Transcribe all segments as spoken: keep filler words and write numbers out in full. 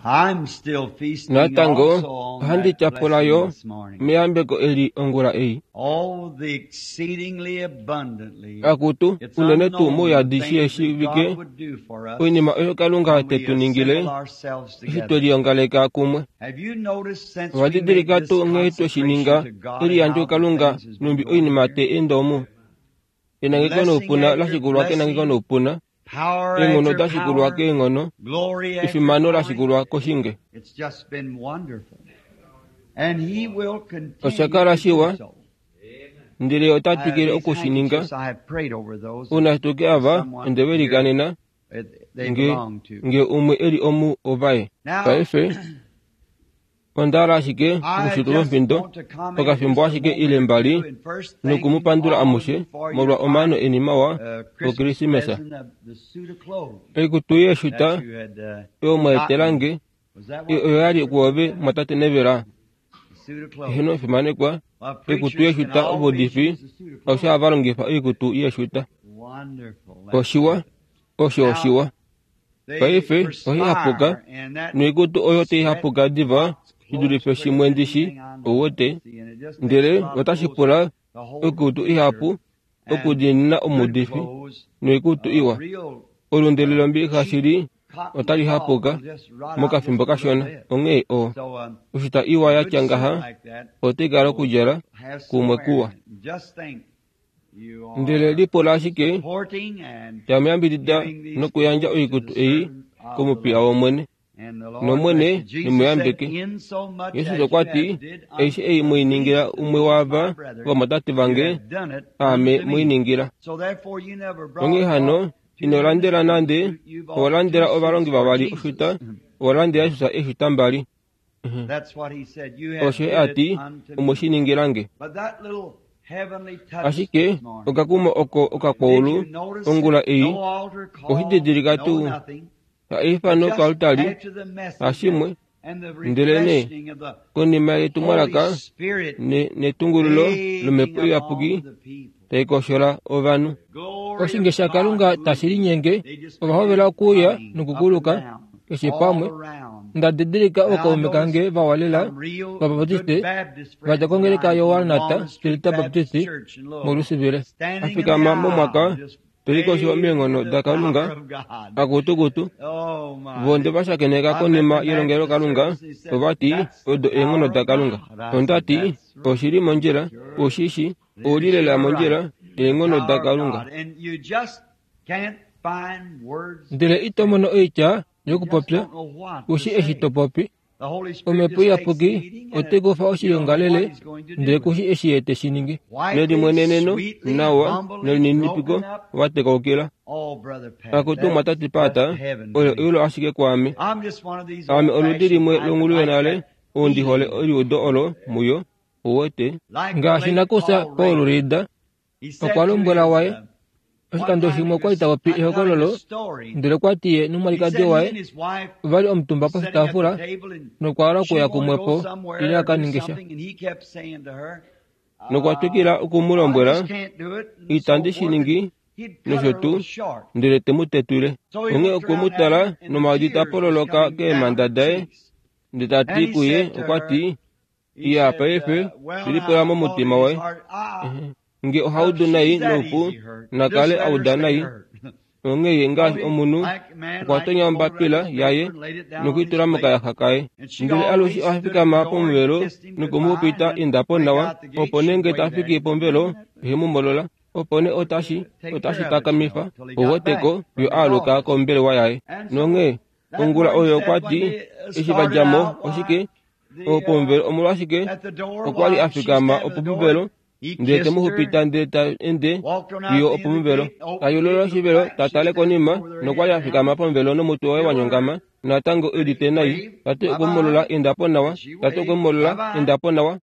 I'm still feasting Natango also on ohandi that tyapula blessing yo this morning. meyambeko eli ongula ei. Oh, the exceedingly abundantly. Akutu It's unene tuu unknown the mouyadi things shi that eshiivike God would do for us oinima oyo Kalunga when te we tu ningile assemble ourselves eshi together. twe liongaleka kumwe. Have you noticed since Owa we made didilika this tuu nghee twe shi consecration ninga to God eliyandjo how the Kalunga things has been numbi going oinima here? te enda omu. Enangeko Blessing noupuna after lashikulwa kenangeko blessing, noupuna, power eenghono after dashikulwa power, keenghono, glory after efimano glory. lashikulwa koshinge. It's just been wonderful. And he will continue Osha kala to do shiwa, so. ndele ota Uh, twikile these oku shi ninga. handkerchiefs, I have prayed over those. Una tuke ava Someone onde here velikanena that they nge belong to. nge umwe eli omu ovaye. Now, Paife onda hala ashike I okushitula just omhindo want to comment okafimbo just a ashike moment ile or two mbali and first thanking nokumupandula all of amushe you for your molwa omano fine eni mawa uh, Christmas okrisimesa. present of the suit of clothes Oikutu yeeshuta that you had uh, oyo mwaetela gotten. nge Was that e- what oyo yali was? kuove mwatate nevela The suit of clothes. eheno fimanekwa Well, oikutu preachers can yeeshuta always ovudifi use a suit of osho clothes. hava longifa oikutu yeeshuta. Wonderful. That's Oshiwa good. osho Now, oshiwa. they Paife ohihapuka perspire, and that noikutu oyo sweat taihapuka diva drops shi dulife clothes shimwe quicker than ndishi anything I know. owete See, and it just makes ndele a lot of otashi clothes pula to hold the oikutu preacher ihapu and okudiinina good omuudifi clothes, noikutu uh, iwa. real Olundili uh, lombilixa cheap shili cotton otali cloth hapuka will just rot out just mokafimbo a little kashona. bit. Onghee o So um, oshita iwa a ya good tya suit ngaha like that otai kala will okudjala have some kumwe wear kuwa. in it. Just think you Ndele are lipula ashike supporting and tamuyambidida giving these nokuyandja clothes to oikutu the ei servant of the komupiya Lord. wOmwene. And the Lord Nomwene bless you. Jesus said, nimuyambeke. In so much Yesus as you okwa ti have did eishe unto ei the mwiningila least of umwe these my waava brethren, vomatate you vange have done it aame unto me. mwiningila. So therefore you never Onghee brought, hano bought two ino landela ministers a nande suit, you owa bought two landela ovalongi suits for vavali Jesus. oshuta owa landela Jesus eeshuta mbali. That's what he said. You have Osho did a it ti unto omwe me. shi ningilange. But that little heavenly touch Ashike this morning. okakumo oko Did okakwaulu you notice ongula it? ei No altar call, oshididilika no tuu nothing. haifano Just koaltari after the message and, hashimwe and the ndelene refreshing of the konima Holy yetumwalaka Spirit ne- netungululo bathing lomhepo iyapuki upon the people. taikoshola ovanhu. Glory Oshinge of sha God Kalunga tashi moving. linyenge They just ova hovela began okuuya coming up and nokukuluka down, keshe all pamwe. around. Nda didilika And I ookaume noticed kange vawalela some real good vabaptiste Baptist vadja friends of kongeleka mine yo from Walnut Walnut Street Delta Baptist Baptist Church in Louisville, molusivile. standing in the Afikama momwaka aisle, just tolikoshiwa bathing meenghono in the da Kalunga power of God. akutukutu Oh my. vonde vashakeneka I met konima the yelongelo Baptist Kalunga service. He said, ovati That's the odo eenghono power da of Kalunga. God. I said, Onda ti That's right. oshili mondjila Sure. oshishi You're olilela sure mondjila right. The eenghono da power of Kalunga. God. And you just can't find words. Ndele ito mono oitya You just yokupopya don't know what to ushi eshi say. to popi. The Holy Spirit Omhepo just takes the iyapuki leading and ote kufa you don't know what oshiongalele he's going to ndele do with kushi it. eshi ye te shi ningi. Quietly, Nelimweneneno sweetly, nawa humbly, nelininipiko broken up. vatekoukila. Oh, Brother Pat, Akutu that's mwatati just pata heaven to olo me. eulo ashike kwaame. I'm just one of these Aame oludi old-fashioned limwe type that longulu like yonale that ou ndi hole feeling. eliudo olo muyo uwete. Like the Ngaashi late nakusa Paul Paul Rader. Reeder He said okwa to lombwela his, waye uh, one oshikando time shimwe he okwa li was, ta popi I'm telling a ehokololo story. ndele okwa ti ye He nomwalikadi said he and waye his wife ovali omutumba was sitting at the poshitaafula table and nokwa hala she okuya wanted to kumwe go po somewhere ile or a ka do ninge sha. something, and he kept saying to her, Nokwa uh, twikila oku mu I lombwela just can't do it, and so itandi shi forth, and ningi he'd cut her nosho a tuu little short. ndele te mu tetwile. So he Onghee looked okwe mu around at tala her, and the nomaadi ta tears was pololoka coming down keemhanda her daye cheeks. ndele ta And ti he kuye said to okwa her, ti he iya said, paife uh, well, lilipula now, I thought momutima in his waye. heart, ah, Nge well, if ohaudu nai she's that noupu easy hurt, just nakale let her auda stay nai. hurt. Onghee ye So ngaashi he, omunhu like a man, okwa like tonya folded up ombapila his yaye paper and laid it down on his nokuitula plate. mokayaxa kaye. And she Ndele alushe always oha stood at the fikama door and pomuvelo kissed him noku mu goodbye, pita and then indapo make nawa out the gate, opo she'd nenge wave ta at fiki him. pomuvelo Isn't that ihe mu molola opo nee otashi take otashi care of it, you takamifa know, till he got oweteko back yo from the aaluka office. kombelewa yaye. And so Nonghee that ongula morning oyo said okwa when ti they uh, eshi started vadja mo out, why oshike the o uh, pomuvelo omolwashike at the door, okwa li why a she fikama standing at the door, opomuvelo he ndele te kissed mu her, xupita ndele ta ende walked on fiyo out the end of the opomuvelo gate, opened ta the yulula gate, looked oshivelo back, ta she tale standing konima over there, nokwa li head a fikama down. pomuvelo nomutwe waye Still wa nyongama hurt. natango But he udite nai waved, ta ti bye okwe mu molola bye. indapo nawa And she ta ti okwe waved, mu molola bye bye. indapo nawa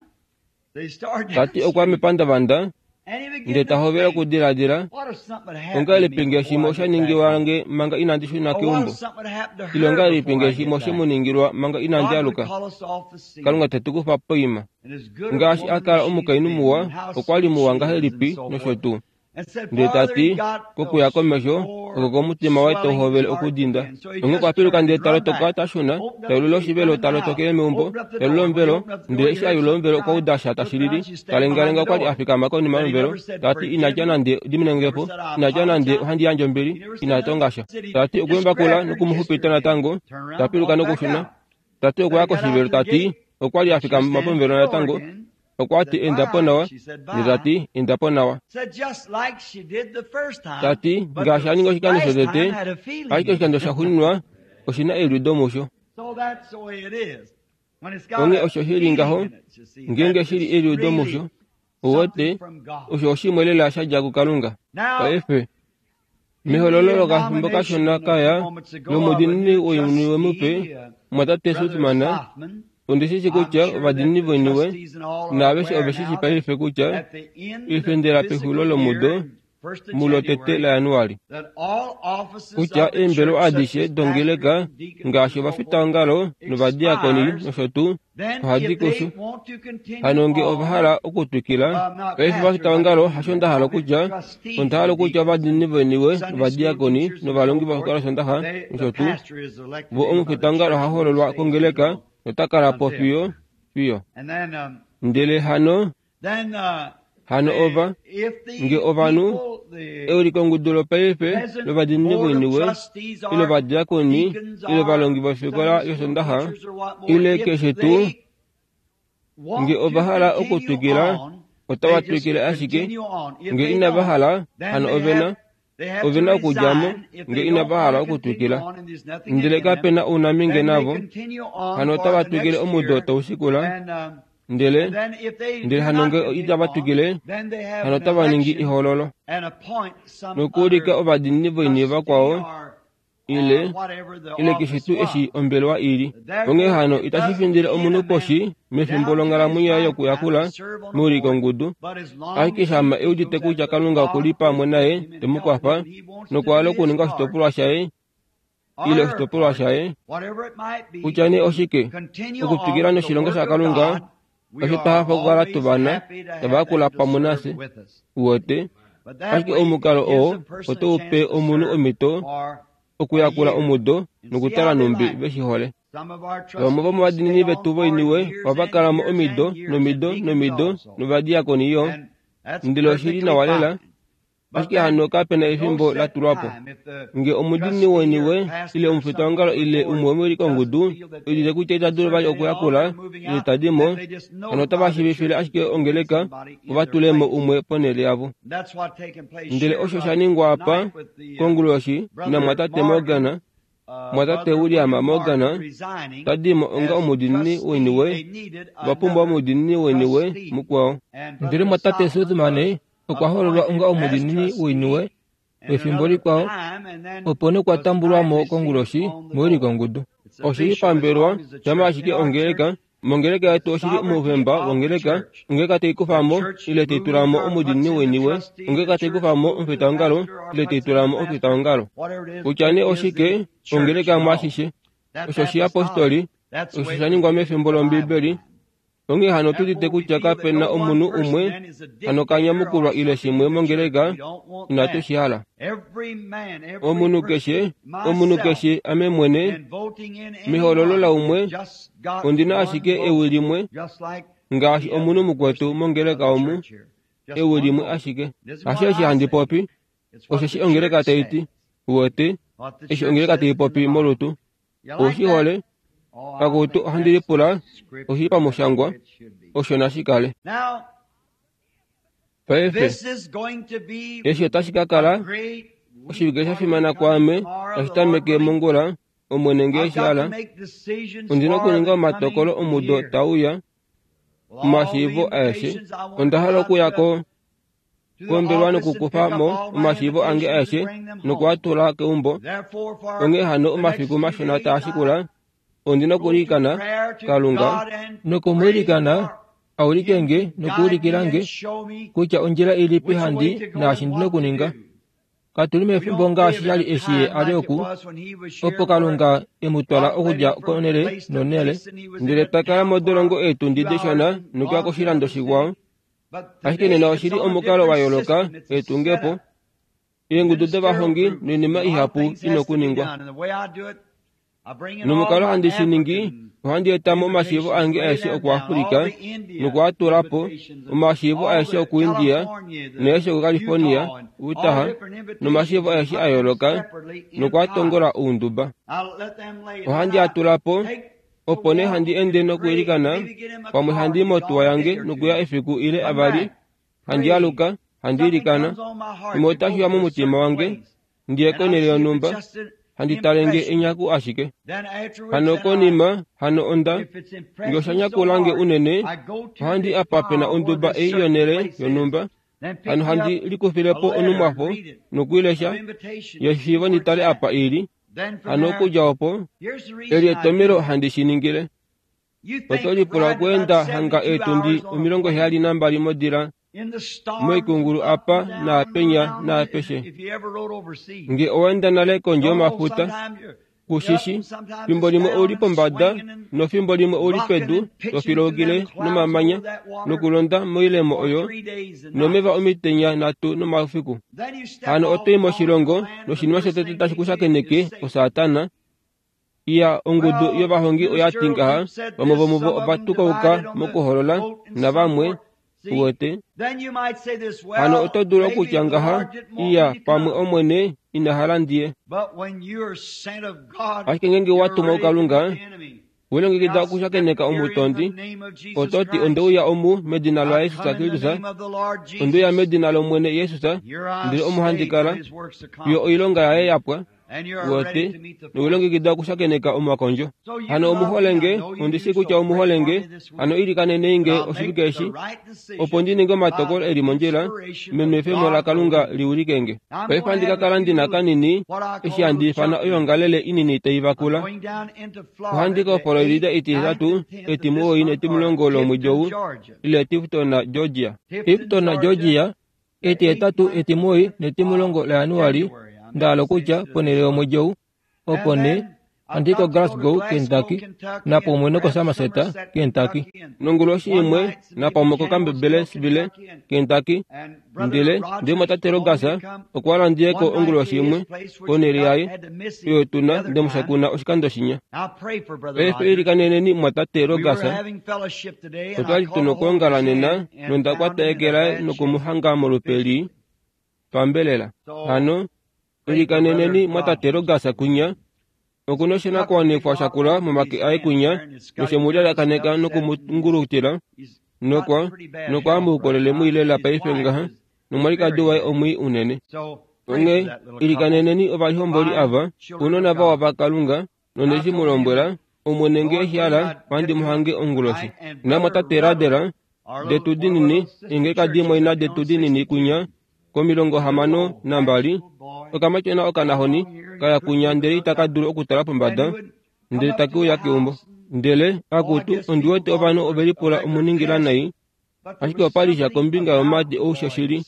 They started ta down ti the okwa street. mepandavanda And he began ndele to ta hovela think, okudiladila what if something had happened to me ongahelipi ngee before shimwe I osha get back ningiwa home? nge manga inandi shuna Or what keumbo if something had happened to ile her ongahelipi before ngee I get shimwe oshe back? mu ningilwa manga inandi God would aluka call us off the scene. Kalunga te tu kufa poima And as good a ngaashi a woman kala as she's omukainhu been, muwa and how okwa li sweet muwa she is, and ngahelipi so nosho forth. tuu Ndele ta ti, kokuya komesho, oko komutima waye tau hovele okudinda. Onghee okwa piluka ndele ta lotoka ta shuna, ta yulula oshivelo ta lotokele meumbo, ta yulula omuvelo, ndele eshi a yulula omuvelo okwa uda sha tashi lili. Ta lengalenga okwali a fikama konima yomuvelo, ta ti ina tya nande diminengepo, ina tya nande ohandi yandje ombili, ina tonga sha. Ta ti okwembakula nokumuxupita natango, ta piluka nokushuna. Ta ti okwa ya koshivelo ta ti okwali a fikama pomuvelo natango, okwa ti enda po nawa, ndele ta ti enda po nawa. Ta ti ngaashi a ninga oshikando shotete, ashike oshikando shaxuuninwa oshina eliudo musho. Onghee osho shili ngaho, ngeenge shili eliudo musho, uwete, osho oshimwe lela shadja kuKalunga. Paife, mehololo lokafimbo kashona kaya lomudinini woiniwe mupe, mwatate Sothmann, ondishishi kutya ovadinini voiniwe naaveshe oveshishi paife kutya oifendela pexulilo lomudo mulotete laJanuali, kutya eembelewa adishe dongeleka ngaashi ovafitaongalo novadiakoni nosho tuu ohadi kushu. Hano nge ova hala okutwikila, paife ovafitaongalo hasho nda hala okutya, onda hala okutya ovadinini voiniwe novadiakoni novalongi vofikola yOsondaxa nosho tuu, vo omufitaongalo oha hoololwa kongeleka nota kala po fiyo fiyo. Ndele hano hano ova nge ovanhu eulikongudu lopaife lovadinini voiniwe ile ovadiakoni ile ovalongi vofikola yOsondaxa ile keshe tuu, nge ova hala okutwikila otava twikile ashike, nge inava hala hano ovena ovena okudja mo nge inava hala okutwikila. Ndele kapena ounaminge navo, hano otava twikile omudo taushikula, ndele ndele hano nge itava twikile, hano otava ningi ehoololo nokuulika ovadinini voiniwe vakwao ile ile keshe tuu eshi ombelewa ili. Onghee hano itashi findile omunhu poshi mefimbo longhalamwenyo yaye yokuyakula meulikongudu, ashike shama eudite kutya Kalunga okuli pamwe naye te mu kwafa nokwa okuninga oshitopolwa shaye ile oshitopolwa shaye, kutya nee oshike, okutwikila noshilonga shaKalunga, osho twa hafa okukala tuvana tava yakula pamwe nafye. Uwete, ashike omukalo oo otau pe omunhu omhito okuyakula omudo nokutala numbi veshi hole. Vamwe vomovadinini vetu voiniwe ohava kala mo omido nomido nomido novadiakoni yo, ndele oshili nawa lela, ashike hano kapena efimbo la tulwa po. Nge omudinini woiniwe ile omufitaongalo ile umwe womeulikongudu eudite kutya ita dulu vali okuyakula ile tadi mo, hano otava shiivifile ashike ongeleka vo va tule mo umwe ponhele yavo. Ndele osho sha ningwa apa konguloshi namwatate Morgan, mwatate William Morgan, tadi mo onga omudinini woiniwe, va pumbwa omudinini woiniwe mukwao. Ndele mwatate Sothmann okwa hoololwa onga omudinini woiniwe wefimbo likwao, opo nokwa tambulwa mo konguloshi meulikongudu. Oshili pambelwa shama ashike ongeleka mongeleka yetu oshili omuufemba wongeleka, ongeleka teikufa mo ile teitula mo omudinini woiniwe, ongeleka teikufa mo omufitaongalo ile teitula mo omufitaongalo. Kutya nee oshike, ongeleka mwaashishe. Osho oshiyapostoli, osho sha ningwa mefimbo lOmbibeli. Onghee hano otudite kutya kapena omunhu umwe hano kanyamukulwa ile shimwe mongeleka inatu shi hala. Omunhu keshe, omunhu keshe ame mwene, mehoololo laumwe, ondina ashike ewi limwe, ngaashi omunhu mukwetu mongeleka omu, ewi limwe ashike. Hasho eshi handi popi, osheshi ongeleka tai ti, uwete, eshi ongeleka tai popi molutu. Oushi hole? Pakutu ohandi lipula, oshili pamushangwa, osho nashi kale. Paife, eshi otashi ka kala oshivike sha fimana kwaame tashi tameke mongula, Omwene nge eshi hala. Ondina okuninga omatokolo omudo tauya omashiivo aeshe. Onda hala okuya ko kombelewa nokukufa mo omashiivo ange aeshe nokuatula keumbo. Onghee hano omafiku mashona taa shikula, ondina okuilikana Kalunga nokumwiilikana aulike nge nokuulikila nge kutya ondjila ilipi handi naashi ndina okuninga. Katuli mefimbo ngaashi shali eshi ye a li oku, opo Kalunga e mu twala okudja konhele nonhele, ndele ta kala modolongo eetundi dishona nokuya koshilando shikwao, Ashike nena oshili omukalo wa yooloka etungepo eengudu dovahongi noinima ihapu ina okuningwa. Nomukalo handi shi ningi, ohandi etamo omashiivo ange aeshe okuAfrika nokuatulapo, omashiivo aeshe okuIndia naeshe okuCalifornia, Utah, nomashiivo aeshe a yooloka nokuatongola ounduba. Ohandi atulapo, opo nee handi ende nokwiilikana, pamwe handi i motuwa yange nokuya efiku ile avali, handi aluka, handi ilikana, imwe otashi uya momutima wange, ndiye konhele yonhumba, handi talenge enyaku ashike. Hano konima, hano onda, nge osha nyakulange unene, ohandi apa pena onduba ei yonhele yonhumba, hano handi likufilepo onumwafo nokuilesha, yeshiivo nditale apa ili, hano okudja opo, eli etomelo handi shi ningile. Oto lipula okweenda hanga eetundi omilongo heyali nambali modila moikungulu apa naapenya naapeshe. Nge owaenda nale kondje yomafuta, kushishi, fimbo limwe ouli pombada nofimbo limwe ouli pedu tofiloukile nomamanya nokulonda moilemo oyo nomeva omitenya nhatu nomaufiku. Hano oto i moshilongo noshinima shotete tashi ku shakeneke oSatana. Iya ongudu yovahongi oya ti ngaha, vamwe vomuvo ova tukauka mokuholola navamwe uwete. Hano oto dulu okutya ngaha, iya pamwe Omwene ina hala ndiye. Ashike ngeenge wa tumwa kuKalunga, welongekida okushakeneka omutondi, oto ti ondeuya omu medina laJesus Kristus, ondeuya medina lOmwene Jesus, ndele omo handi kala, fiyo oilonga yaye yapwa. Uwete, nowelongekida okushakeneka omakondjo. Hano omuholenge, ondishi kutya omuholenge, hano ilikanenei nge oshivike eshi, opo ndi ninge omatokolo eli mondjila, menwefemo laKalunga liulikenge. Paife handi ka kala ndina kanini, eshi handi ifana oyoongalele inini tai vakula. Ohandi ka Florida etihetatu, etimuwoi netimulongo lomwedi ou, ile Tifton, Georgia. Tifton, Georgia, etihetatu, etimuwoi netimulongo laJanuali, ndahala okutya ponhele yomwedi ou, opo nee handi ko Glasgow, Kentucky, napamwe nokoSomerset, Kentucky. Nonguloshi imwe napamwe koCampbellsville, Kentucky, ndele ndele mwatate Rogers okwa landiyeko onguloshi imwe konhele yaye oyo tuna ndemushakuna oshikando shinya. Paife ilikaneneni mwatate Rogers. Otwali tuna okwoongala nena nonda kwata eke laye nokumuhanga molupe lii pambelela. Hano ilikaneneni mwatate Rogers kunya okuna oshinakuwanifwa shakula momake aye kunya noshemulyalyakaneka nokumungulutila nokwa nokwaamuukolele mwiilela paife ngaha nomwalikadi waye omwii unene. Onghee ilikaneneni ovalihomboli ava ounona vawa vaKalunga nondeshi mu lombwela Omwene nge eshi hala ohandi mu hange onguloshi. Namwatate Radela detu dinini eengeka dimwe ina detu dinini kunya komilongo hamano nambali okamatyona okanahoni kaya kunya ndele itaka dulu okutala pombada ndele take uya keumbo. Ndele akutu ondiwete ovanhu ovelipula omuningila nai, ashike opali sha kombinga yomadi oushoshili.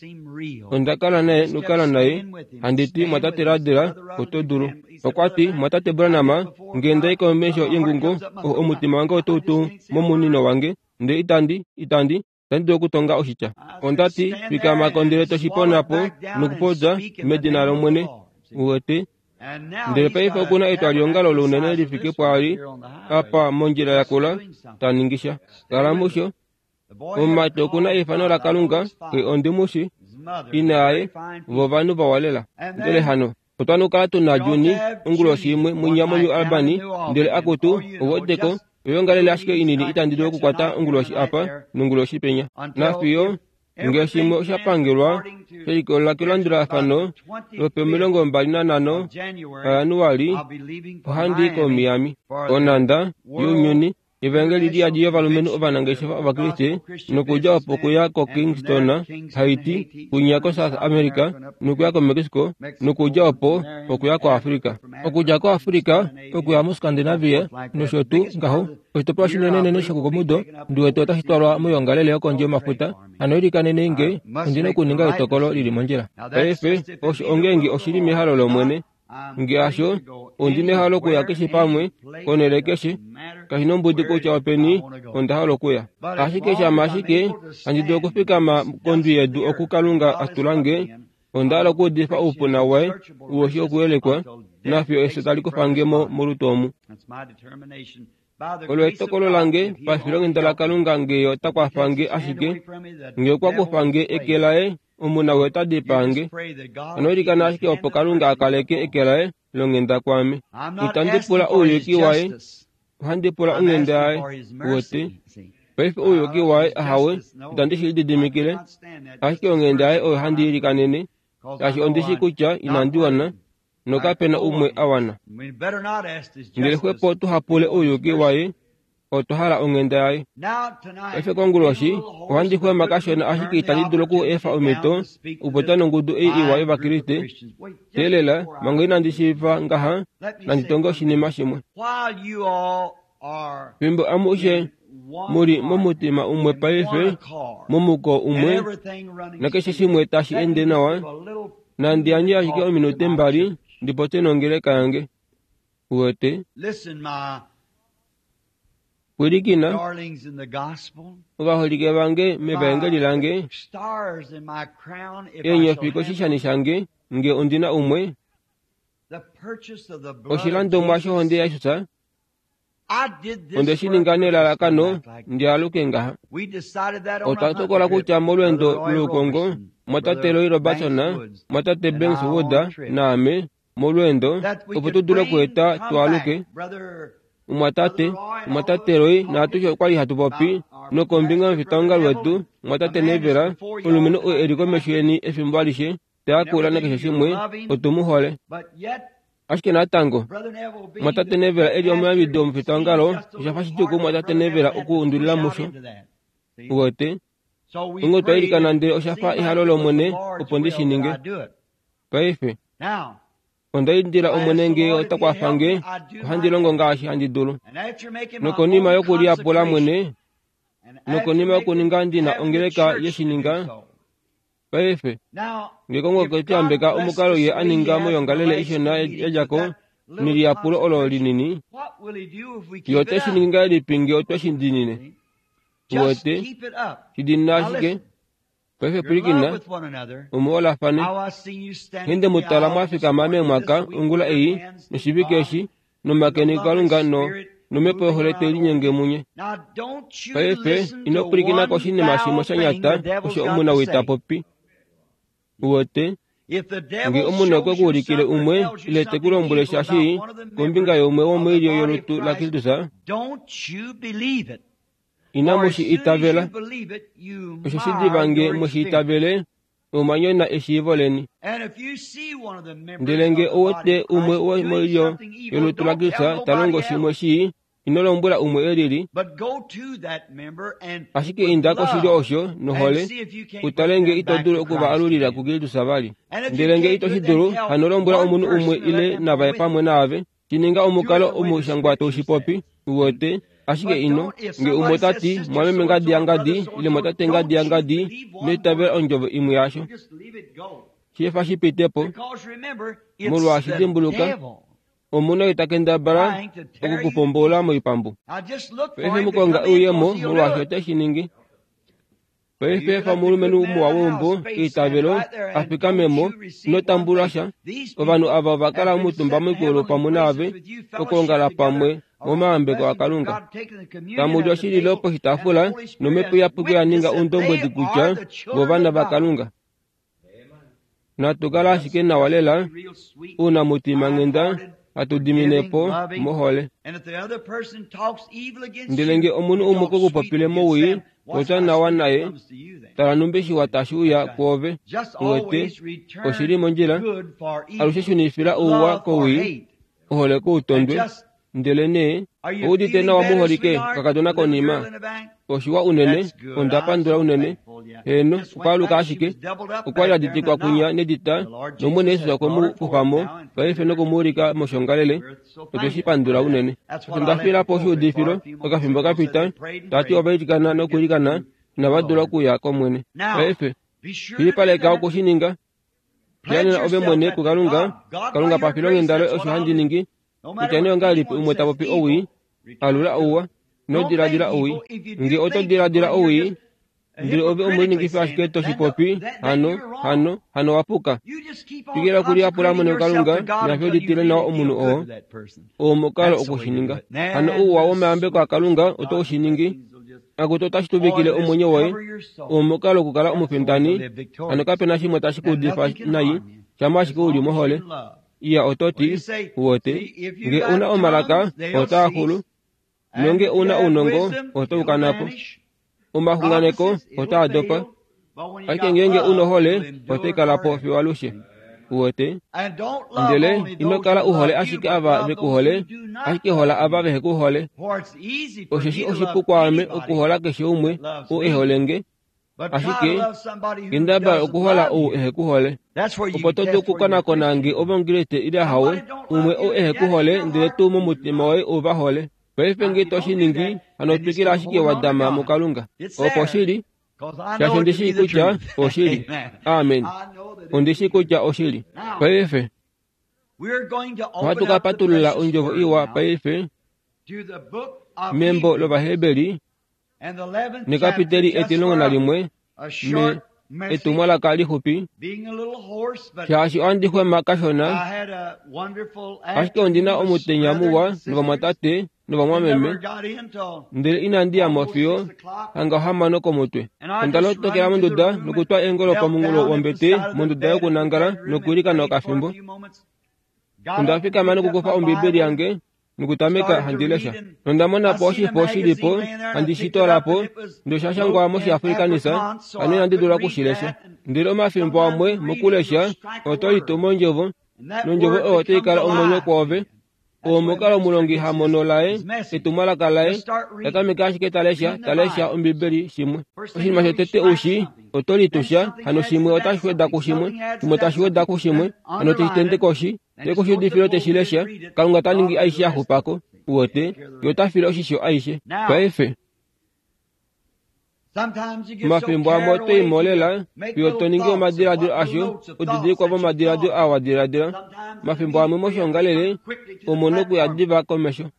Onda kala naye nokukala naye handi ti mwatate Radela oto dulu. Okwa ti mwatate Branham nge ndai komesho yengungo omutima wange otau tu momunino wange ndele itandi itandi itandi dulu okutonga oshitya. Onda ti fikama ndele toshiponapo nokupopya medina lOmwene uwete. Ndele paife okuna etwaliongalo lounene lifike pwaali apa mondjila yakula taningisha. Kala musho. Omumati okuna eifano laKalunga xe ondimushi ina yaye vo ovanhu vawalela. Ndele hano otwa kala tuna Juni onguloshi imwe munya moNew Albany ndele akutu ouweteko oyoongalele ashike inini itandi dulu okukwata onguloshi apa nonguloshi penya. Nafiyo nge shimwe oshapangelwa shelikolelela kelandulafano lopomilongo mbali nanhano aJanuali ohandi i koMiami, onhanda younyuni evangeli liyadi yovalumenhu ovanangeshefa Ovakriste nokudja opo okuya koKingston, Haiti, kunya koSouth America nokuya koMexico nokudja opo okuya koAfrica. Okudja koAfrica okuya muScandinavia nosho tuu ngaho. Oshitopolwa shinenenene shokomudo ndiwete otashi twalwa moyoongalele yokondje yomafuta. Hano ilikanenei nge ondina okuninga etokolo lili mondjila. Paife osho ongeenge oshili mehalo lOmwene. Nge hasho, ondi nehalo okuya keshe pamwe, konhele keshe, Kashi nombudi kutya openi onda hala okuya. Ashike shama ashike handi dulu okufikama kondwi yedu oku Kalunga a tula nge, onda hala okuudifa oupuna waye uoshi okuyelekwa nafyo efyo tali kufa nge mo molutu omu. Olo etokolo lange pafilonghenda laKalunga nge ota kwafa nge ashike nge okwa kufa nge eke laye omuna we ota dipaa nge. Ano ilikana ashike opo Kalunga a kaleke eke laye longhenda kwaame. Itandi pula ouyuki waye, ohandi pula onghenda yaye. Uwete? Paife ouyuki waye ahawe itandi shi lididimikile, ashike onghenda yaye oyo handi ilikanene, shaashi ondishi kutya inandi wana, nokapena umwe a wana. Ndele xwepo tuhapule ouyuki waye, otwa hala onghenda yaye. Paife konguloshi ohandi xwema kashona ashike itandi dulu oku efa omhito okupopya nongudu ei iwa yOvakriste. Teelela, manga inandi shiiva ngaha, nandi tonge oshinima shimwe. Fimbo amushe muli momutima umwe paife, momuko umwe, nakeshe shimwe tashi ende nawa, nandi yandje ashike ominute mbali ndipopye nongeleka yange. Uwete? Pwilikina, ovaholike vange mevaengeli lange, eenyofi koshishani shange nge ondina umwe, oshilandomwa shohonde yaJesus, onde shi ninga nelalakano ndialuke ngaha. Otwa tokola kutya molweendo loukongo mwatate Roy Robertson, mwatate Banks Wood naame molweendo opo tu dule okueta twaaluke. Mwatate, mwatate Roy naatushe okwali hatu popi nokombinga yomufitaongalo wetu mwatate Neville, omulumenhu oo eli komesho yeni efimbo alishe, tayakula nakeshe shimwe, otu mu hole. Ashike natango, mwatate Neville eli omuyambidi womufitaongalo, osha fa shidjuu kumwatate Neville okuundulila musho. Uwete? Onghee otwa ilikana ndele osha fa ehalo lOmwene opo ndi shi ninge. Paife, onda indila Omwene nge ota kwafa nge, ohandi longo ngaashi handi dulu. Nokonima yokuliyapula mwene, nokonima yokuninga ndina ongeleka yeshininga, paife, nge Kongo okwe tu yambeka omukalo ye a ninga moyoongalele ishona yadjako neliyapulo olo linini, ye ote shi ningi ngahelipi nge otwe shi diinine? Uwete? Shi diinina ashike. Paife pwilikina, omuholafane. Nghee mutala mwafikama meemwaka ongula ei noshivike eshi nomakeni kuKalunga no nomhepo yohole te linyenge munye. Paife ino pwilikina koshinima shimwe sha nyata osho omunawii ta popi. Uwete? Nge omunhu okwe ku ulikile umwe ile te ku lombwele sha shii kombinga youmwe womoilyo yolutu laKristus, inamu shi itavela. Osho shi diva nge mweshi itavele, omwa nyona eshiivo leni. Ndele nge ouwete umwe womoilyo yolutu laKristus ta longo shimwe shii, ino lombwela umwe elili, ashike inda koshilyo osho nohole, utale nge ito dulu okuvaalulila kuKristus vali. Ndele nge ito shi dulu, hano lombwela omunhu umwe ile navaye pamwe naave, shi ninga omukalo omushangwa taushipopi. Uwete? Ashike ino, nge umwe tati mwameme ngadi yangadi ile mwatate ngadi yangadi, ino itavela ondjovo imwe yasho. Shefa shi pite po, molwaashi dimbuluka, omuna ita kendabala okukupombola moipambu. Paife mukonga ouyemo molwaashi ote shi ningi. Paife fa omulumenhu muwa weumbo eitavelo a fikame mo, ino tambula sha. Ovanhu ava ova kala omutumba moikolo pamwe naave, okwoongala pamwe momayambeko aKalunga. Tamu li oshililo poshitaafula nomhepo iyapuki ya ninga oundombwedi kutya vovana vaKalunga. Natu kala ashike nawa lela, ounamutima-nghenda hatu dimine po mohole. Ndele nge omunhu umwe okwe ku popile mowii, popya nawa naye, tala nhumbi shiwa tashi uya kwoove. Uwete, oshili mondjila, alushe shunifila ouwa kowii, ohole koutondwe. Ndele nee, oudite nawa muholike kakadona konima. Oshiwa unene, onda pandula unene. Heeno, okwaaluka ashike, okwali aditikwa kunya nedita, nOmwene Jesus okwe mu kufa mo, paife nokumuulika moshongalele, otwe shi pandula unene. Osho nda fiila po oshiudifilo, okafimbo kapita, tati ovailikana nokuilikana, inava dula okuya kOmwene. Paife, shilipaleka okushininga. Lianena ove mwene kuKalunga, Kalunga pafilonghenda loye osho handi ningi, kutya nee ongahelipi umwe ta popi owii, Alula ouwa, ino diladila owii. Nge oto diladila owii, ndele ove omuliningifi ashike to shi popi, hano, hano, hano wapuka. Twikila okuliyapula mwene kuKalunga, nafyo litile nawa omunhu oo, oo omukalo okushininga. Hano ouwa womayambeko aKalunga oto u shi ningi, akutu otashi tuvikile omwenyo woye, oo omukalo okukala omufindani, hano kapena shimwe tashi ku udifa nai, shamha ashike uli mohole. Iya oto ti, uwete, nge una omalaka, otaa xulu, nonge una ounongo, oto u kana po. Omaxunganeko otaa dopa, ashike ngeenge una ohole, otai kala po fiyo alushe. Uwete, ndele ino kala u hole ashike ava ve ku hole, ashike hola ava vehe ku hole. Osheshi oshipu kwaame okuhola keshe umwe ou e hole nge, ashike kendabala okuhola ou ehe ku hole. Opo to dulu okukonakona nge ove Omukriste ile ahawe, umwe ou ehe ku hole ndele tuu momutima woye u va hole. Paife nge to shi ningi, hano twikila ashike wa dama muKalunga. Opo shili, shaashi ondi shii kutya oshili. Amen. Ondi shii kutya oshili. Paife, ohatu ka patulula ondjovo iwa paife membo lOvaheberi nekapiteli etilongo nalimwe me etumwalaka lixupi, shaashi ohandi xwema kashona, ashike ondina omutenya muwa novamwatate novamwameme, ndele inandi ya mo fiyo hanga ohamano komutwe. Onda lotokela monduda nokutwa eengolo pomunghulo wombete monduda yokunangala nokwiilikana okafimbo. Onda fikama nokukufa Ombibeli yange nokutameka handi lesha. Nonda mona po oshifo shilipo handi shi toola po, ndele osha shangwa mOshiafrikanisa, hano inandi dula okushilesha. Ndele omafimbo amwe mokulesha oto litu mondjovo, nondjovo oyo otai kala omwenyo kwoove. Oo omukalo omulongi ha mono laye, etumwalaka laye, tatameke ashike talesha, talesha Ombibeli shimwe. Oshinima shotete ushi, oto litusha, hano shimwe otashi weda kushimwe, shimwe tashi weda kushimwe, hano teshi tende koshi, te koshi udifilo teshi lesha, Kalunga ta ningi aishe ya xupako, uwete, ye ota file oshisho aishe. Paife, omafimbo amwe oto i molela, fiyo to ningi omadiladilo asho, udidilikwa vomadiladilo aa wa diladila. Omafimbo amwe moshiongalele, omo nokuya diva komesho.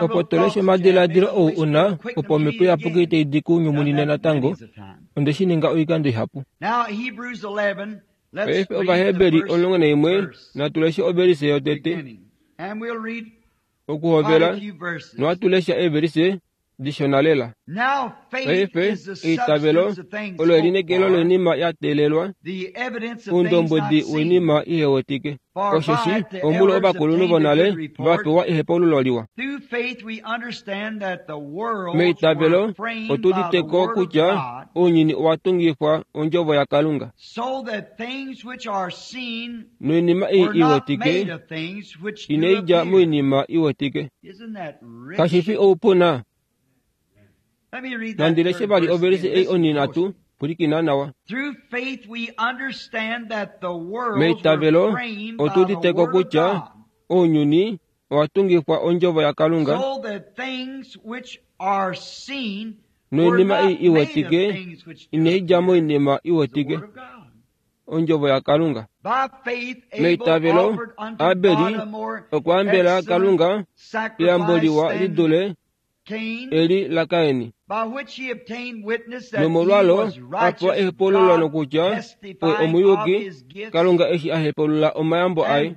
Opo to leshe omadiladilo ou una, opo Omhepo Iyapuki tai di ku nyumunine natango, onde shi ninga oikando ihapu. Paife Ovaheberi omulongo naimwe, natu leshe ovelise yotete. Okuhovela, nohatu lesha eevelise dishona lela. Paife eitavelo olo elineekelo loinima ya teelelwa, oundombwedi woinima ihewetike. Osheshi omulo ovakulunhu vonale va pewa ehepaululo liwa. Meitavelo otu uditeko kutya ounyuni owa tungifwa ondjovo yaKalunga, noinima ei iwetike inai dja moinima iwetike. Kashi fi oupuna? Nandi leshe vali ovelise ei onhinhatu, pwilikina nawa. Meitavelo otu uditeko kutya ounyuni owa tungifwa ondjovo yaKalunga, noinima ei iwetike inai dja moinima iwetike, ondjovo yaKalunga. Meitavelo Abeli okwa ambela Kalunga eyambo liwa li dule eli laKaini, nomolwalo a pewa ehepaululo nokutya oye omuyuki, Kalunga eshi a hepaulula omayambo aye.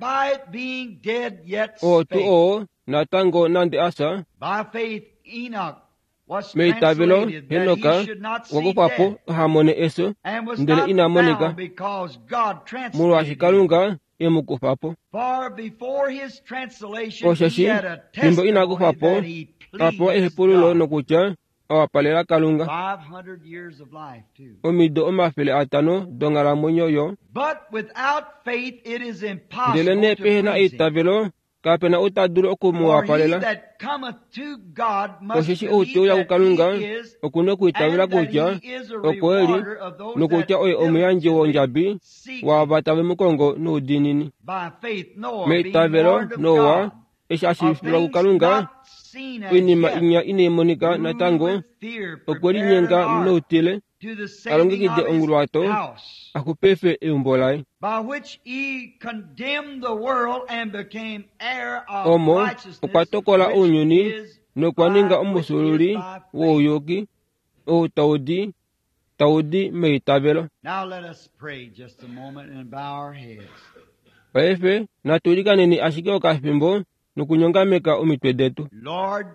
Oo tuu oo natango nande asa, meitavelo Henok okwa kufwa po aha mone efyo, ndele ina monika, molwaashi Kalunga e mu kufa po. Osheshi fimbo ina kufwa po, a pewa ehepaululo nokutya a wapalela Kalunga. Omido omafele atano donghalamwenyo yo. Ndele nee pehe na eitavelo, kapena ou ta dulu oku mu wapalela. Osheshi ou te uya kuKalunga oku na okwiitavela kutya oko e li, nokutya oye omuyandji wondjabi waava tave mu kongo noudiinini. Meitavelo Noa, eshi a shiivifilwa kuKalunga oinima inya inai monika natango, okwe linyenga noutile, to the a saving longekide of his onguluwato house, a xupife eumbo laye by which he condemned the world and became heir of omo righteousness, okwa tokola which ounyuni is nokwa ninga by, which is omusululi by faith. wouyuki ou taudi taudi meitavelo. Now let us pray just a moment and bow our heads. Paife natulikaneni ashike okafimbo nokunyongameka omitwe detu. Lord,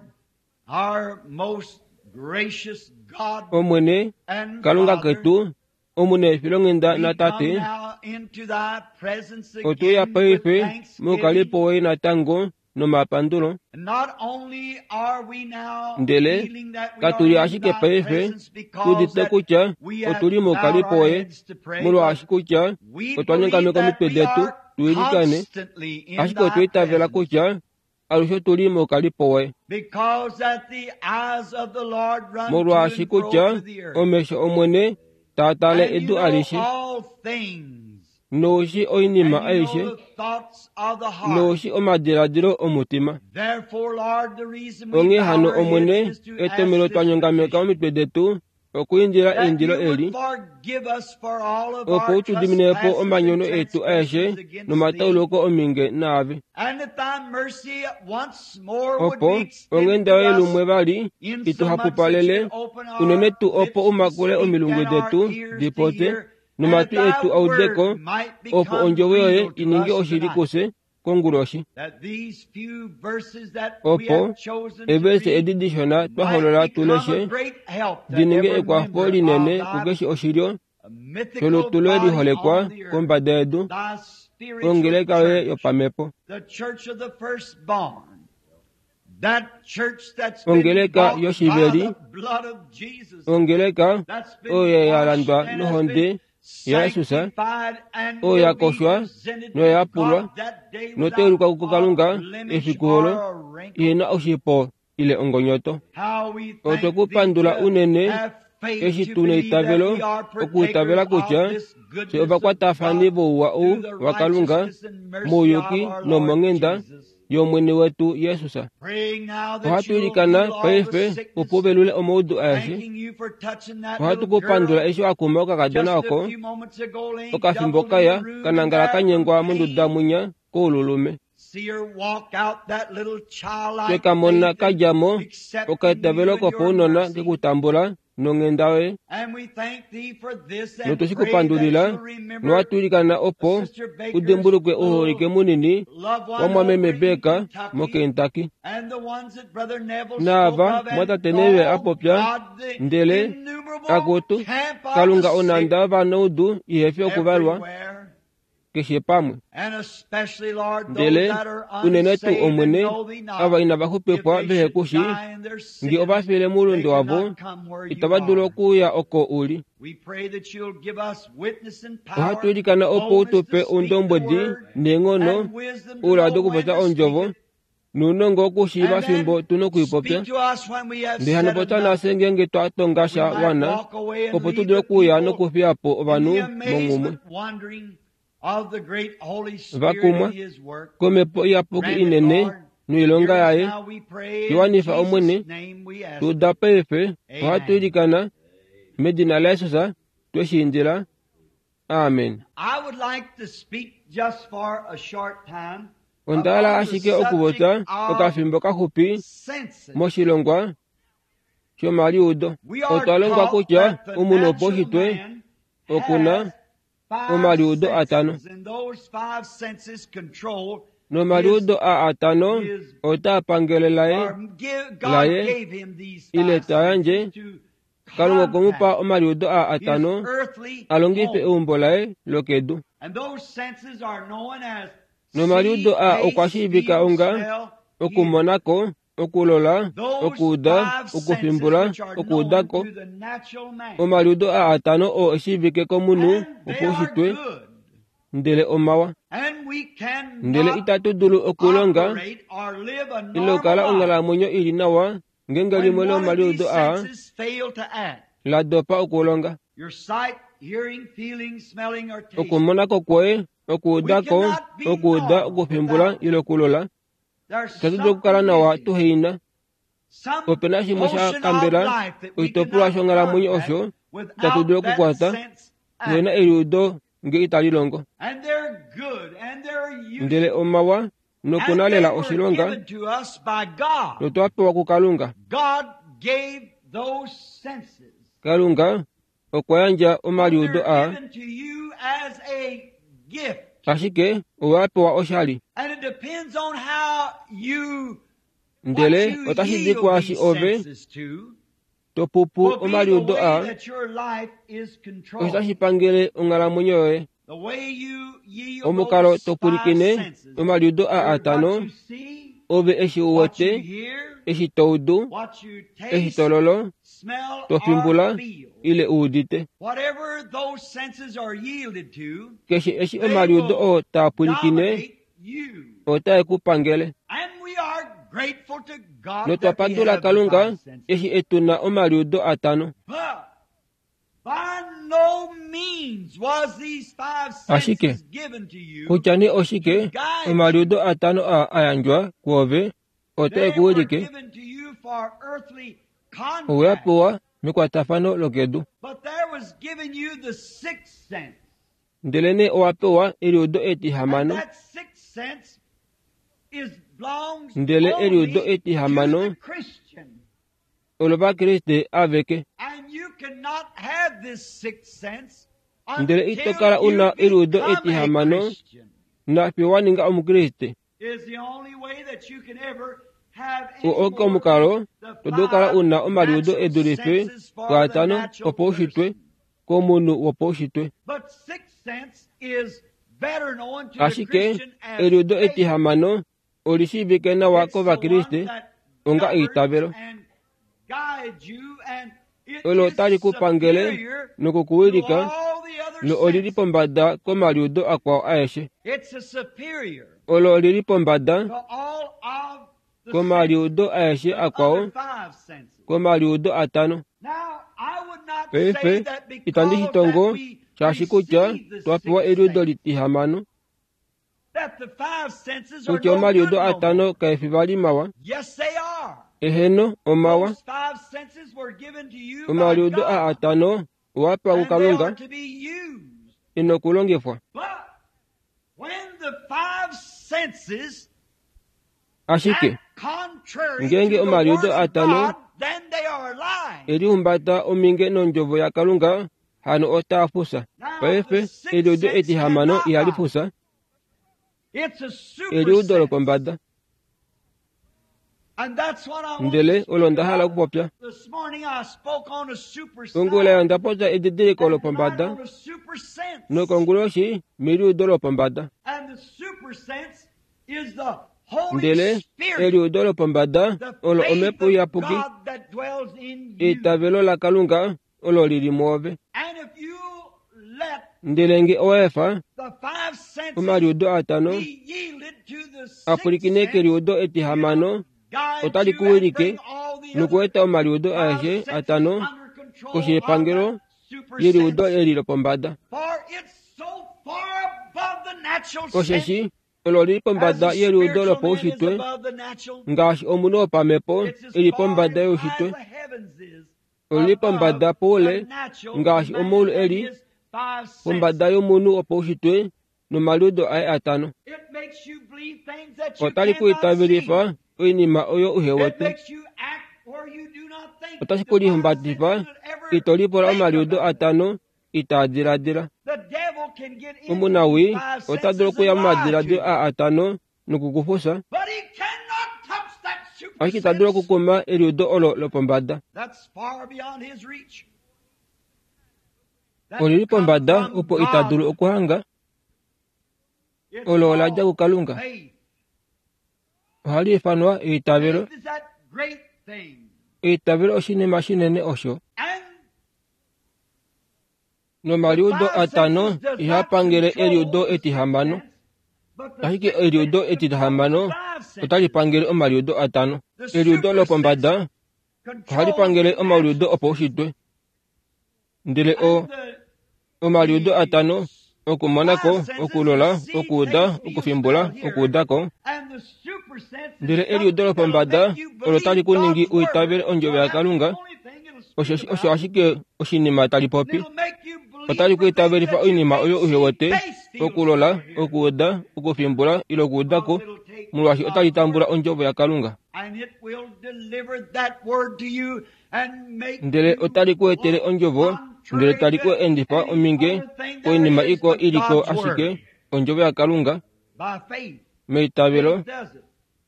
our most gracious God Omwene and Kalunga Father, ketu omune efilonghenda we na come tate now into thy presence otuya again with paife thanksgiving. mukalipo woye natango nomapandulo. Not only are we now Ndele feeling that we katuli are in ashike thy paife presence because tudite that kutya we have otuli bowed mukalipo our woye heads to pray, but molwaashi kutya we otwa believe nyongameka that omitwe we detu are tuilikane constantly in ashike thy otwiitavela presence kutya alushe otuli mukalipo woye because that the eyes of the Lord run to molwaashi and fro kutya through the earth. omesho omwene taatale And you edu know alishe all things, noushi oinima and you aishe know the thoughts of the heart. noushi omadiladilo omutima. Therefore, Lord, the reason we Onghee bow hano our omwene heads is to ask etomelo this twa nyongameka petition, omitwe detu okwiindila that eindilo you would eli forgive us for all of opo our u tu diminepo trespasses and omanyono etu aeshe transgressions against thee, nomatauluko ominge naave and that thy mercy once more would opo be extended onghenda to yoye us lumwe vali in so much that ituhapupalele you'd open unene our tuu opo lips to umakule speak omilungu and our detu ears to dipopye hear, and that nomatwi thy etu audeko word might opo become ondjovo yoye real to ininge us oshili tonight. kufye konguloshi That these few verses that we opo have chosen to evese read edi dishona might twaholola become a tuleshe great help to dininge every ekwafo member linene of thy kukeshe oshilyo mythical sholutu loye body liholekwa on the earth, kombada yedu thy spiritual ongeleka yoye church, yopamhepo the church of the firstborn, that church that's been ongeleka bought by yoshiveli the blood of Jesus, ongeleka that's been oyo ya washed landwa and has nohonde been yaJesus sanctified and oyo will ya be koshwa presented noya to yapulwa God that day noteeluka without kuKalunga spot, blemish, efiku olo or a wrinkle. ihena oshipo ile ongonyoto. How we Otwe thank ku thee pandula to unene have faith eshi to tuna believe that eitavelo we are okuitavela partakers of kutya this fye goodness of ovakwatafani God vouwa ou through the waKalunga righteousness and mercy of mouyuki our Lord nomonghenda Jesus. yOmwene wetu Jesus. Praying now that Ohatu you'll ilikana heal all the paife sickness, opo uvelule omaudu aeshe. thanking you for touching that Ohatu little ku pandula girl eshi wa kuma okakadona just a oko few moments ago laying okafimbo doubled in kaya the room and kanangala there kanyengwa from monduda pain. mwinya koululume. See her walk out that little childlike Twekamona faith and kadja mo accepting okaitavelo you and your kopaunona mercy. kekutambula nonghenda yoye And we thank thee for this and notoshi pray that kupandulila you'll remember nowatulikana opo Sister Baker's udimbulukwe uholike little munini loved wa one mwameme over in Beka Kentucky moKentucky and the ones that Brother Neville spoke naava of, and mwatate Neville all apopya God, the ndele innumerable akutu camp of Kalunga the sick onanda vanoudu ihefi okuvalwa everywhere. keshe pamwe And especially, Lord, those ndele that are unene tuu unsaved and Omwene know thee ava not, inava if xupifwa they vehe should kushi die in their nge sins, ovafile they moulunde wavo cannot come where you itava dulu are. okuuya oko uli. We pray that you'll give us witness and Ohatu power, ilikana opo boldness to utupe speak the oundombwedi word, neenghono and wisdom to ouladi know when okupopya to speak ondjovo it, nounongo wokushiiva and fimbo then tuna okuipopya. speak to us when we have Ndele hano said popya enough. nafye ngeenge twa tonga We sha might wana walk away and opo tu leave dule the okuuya people nokufiya po in ovanhu the monghumwe amazement wondering of the great Holy Spirit vakumwa and His work. komhepo iyapuki Grant it, inene Lord. noilonga Hear us yaye now, we pray. In iwanifa Jesus' Omwene name we ask it. tuda paife ohatu Amen. ilikana medina laJesus tweshiindila. Amen. I would like to speak just for a short time Onda hala upon the ashike okupopya subject of okafimbo kaxupi senses. moshilongwa shomaliudo. We are Otwa longwa taught kutya that the omunhu natural wopaushitwe man okuna has five omaliudo atano senses, and those five senses control his nomaliudo a atano his otaa pangele laye or give, God laye gave him these ile five ta yandje senses to Kalunga okwemupa contact omaliudo a his atano earthly a longife home. eumbo laye lokedu. And those senses are known as see, Nomaliudo a okwa taste, shiivika feel, onga smell, hear. okumonako, okulola, Those okuuda, five senses okufimbula, which are known okuudako. to the natural man. Omaliudo a atano oo eshiivike komunhu And they are wopaushitwe good. ndele omawa. And we Ndele cannot itatu dulu okulonga operate or live a ile normal okukala life onghalamwenyo ili nawa ngeenge when limwe one of these lomaliudo aa senses fail to act. la dopa okulonga. Your sight, hearing, feeling, smelling, or tasting. Okumonako kwoye, We okuudako, cannot be okuuda, normal okufimbula without ile okulola. There's Itatu dulu okukala something nawa missing. tuheina. Some Opena shimwe sha portion of kambela life that we oshitopolwa cannot shonghalamwenyo contact osho Itatu dulu okukwata tuhena eliudo nge itali longo. Ndele omawa nokuna lela oshilonga notwa pewa kuKalunga. Kalunga okwa yandja omaliudo aa, ashike owa pewa oshali. Ndele otashi di kwaashi ove to pupu omaliudo aa, osho tashi pangele onghalamwenyo yoye. Omukalo to pwilikine omaliudo aa atano, ove eshi u wete, eshi to udu, eshi to lolo, to fimbula ile u udite. Keshe eshi omaliudo oo taa pwilikine, otae ku pangele. Notwa pandula Kalunga eshi e tu na omaliudo atano. Ashike kutya nee oshike omaliudo atano aa a yandjwa kwoove otae ku wilike, owe a pewa mekwatafano lokedu. Ndelenee owa pewa eliudo etihamano, ndele eliudo etihamano olovakriste aveke. Ndele ito kala u na eliudo etihamano nafiyo wa ninga Omukriste. Oo oke omukalo to dulu okukala u na omaliudo e dulife pwaatano opaushitwe komunhu wopaushitwe. Ashike eliudo etihamano oli shiivike nawa kOvakriste onga eitavelo. Olo tali ku pangele nokukuwilika, lo olili pombada komaliudo akwao aeshe. Olo olili pombada komaliudo aeshe akwao, komaliudo atano. Paife itandi shi tongo shaashi kutya twa pewa eliudo litihamano, kutya omaliudo atano kae fi vali mawa. Eheno, omawa. Omaliudo aa atano owa pewa kuKalunga, ino kulongifwa. Ashike ngeenge omaliudo atano e lihumbata ominge nondjovo yaKalunga, hano otaa fufya. Paife eliudo etihamano ihali fufya, eliudo lopombada. Ndele olo nda hala okupopya. Ongula onda popya edidiliko lopombada, nokonguloshi meliudo lopombada. Ndele eliudo lopombada olo Omhepo Iyapuki, eitavelo laKalunga olo lili mwoove. Ndele nge owa efa omaliudo atano a pwilikine keliudo etihamano, otali ku wilike nokueta omaliudo aeshe atano koshi yepangelo yeliudo eli lopombada. Osheshi olo lili pombada yeliudo lopaushitwe, ngaashi omunhu wopamhepo eli pombada youshitwe. Olili pombada poule ngaashi omaulu eli pombada yomunhu wopaushitwe nomaliudo aye atano. Otali ku itavelifa oinima oyo uhe wete. Otashi ku lihumbatifa ito lipula omaliudo atano itaa diladila. Omunawii ota dulu okuya momadiladilo aa atano nokukufufya, ashike ita dulu okukuma eliudo olo lopombada. Olili pombada opo ita dulu okuhanga. Olo ola dja kuKalunga. Ohali ifanwa eitavelo. Eitavelo oshinima shinene osho. Nomaliudo atano ihaa pangele eliudo etihamano, ashike eliudo etihamano otali pangele omaliudo atano. Eliudo lopombada ohali pangele omaliudo opaushitwe, ndele o omaliudo atano okumonako, okulola, okuuda, okufimbula, okuudako. Ndele eliudo lopombada olo tali ku ningi uitavele ondjovo yaKalunga, Osho ashike oshinima tali popi. Otali ku itavelifa oinima oyo uhe wete, okulola, okuuda, okufimbula ile okuudako, molwaashi otali tambula ondjovo yaKalunga. Ndele otali ku etele ondjovo, ndele tali ku endifa ominge koinima ikwao iliko ashike ondjovo yaKalunga. Meitavelo,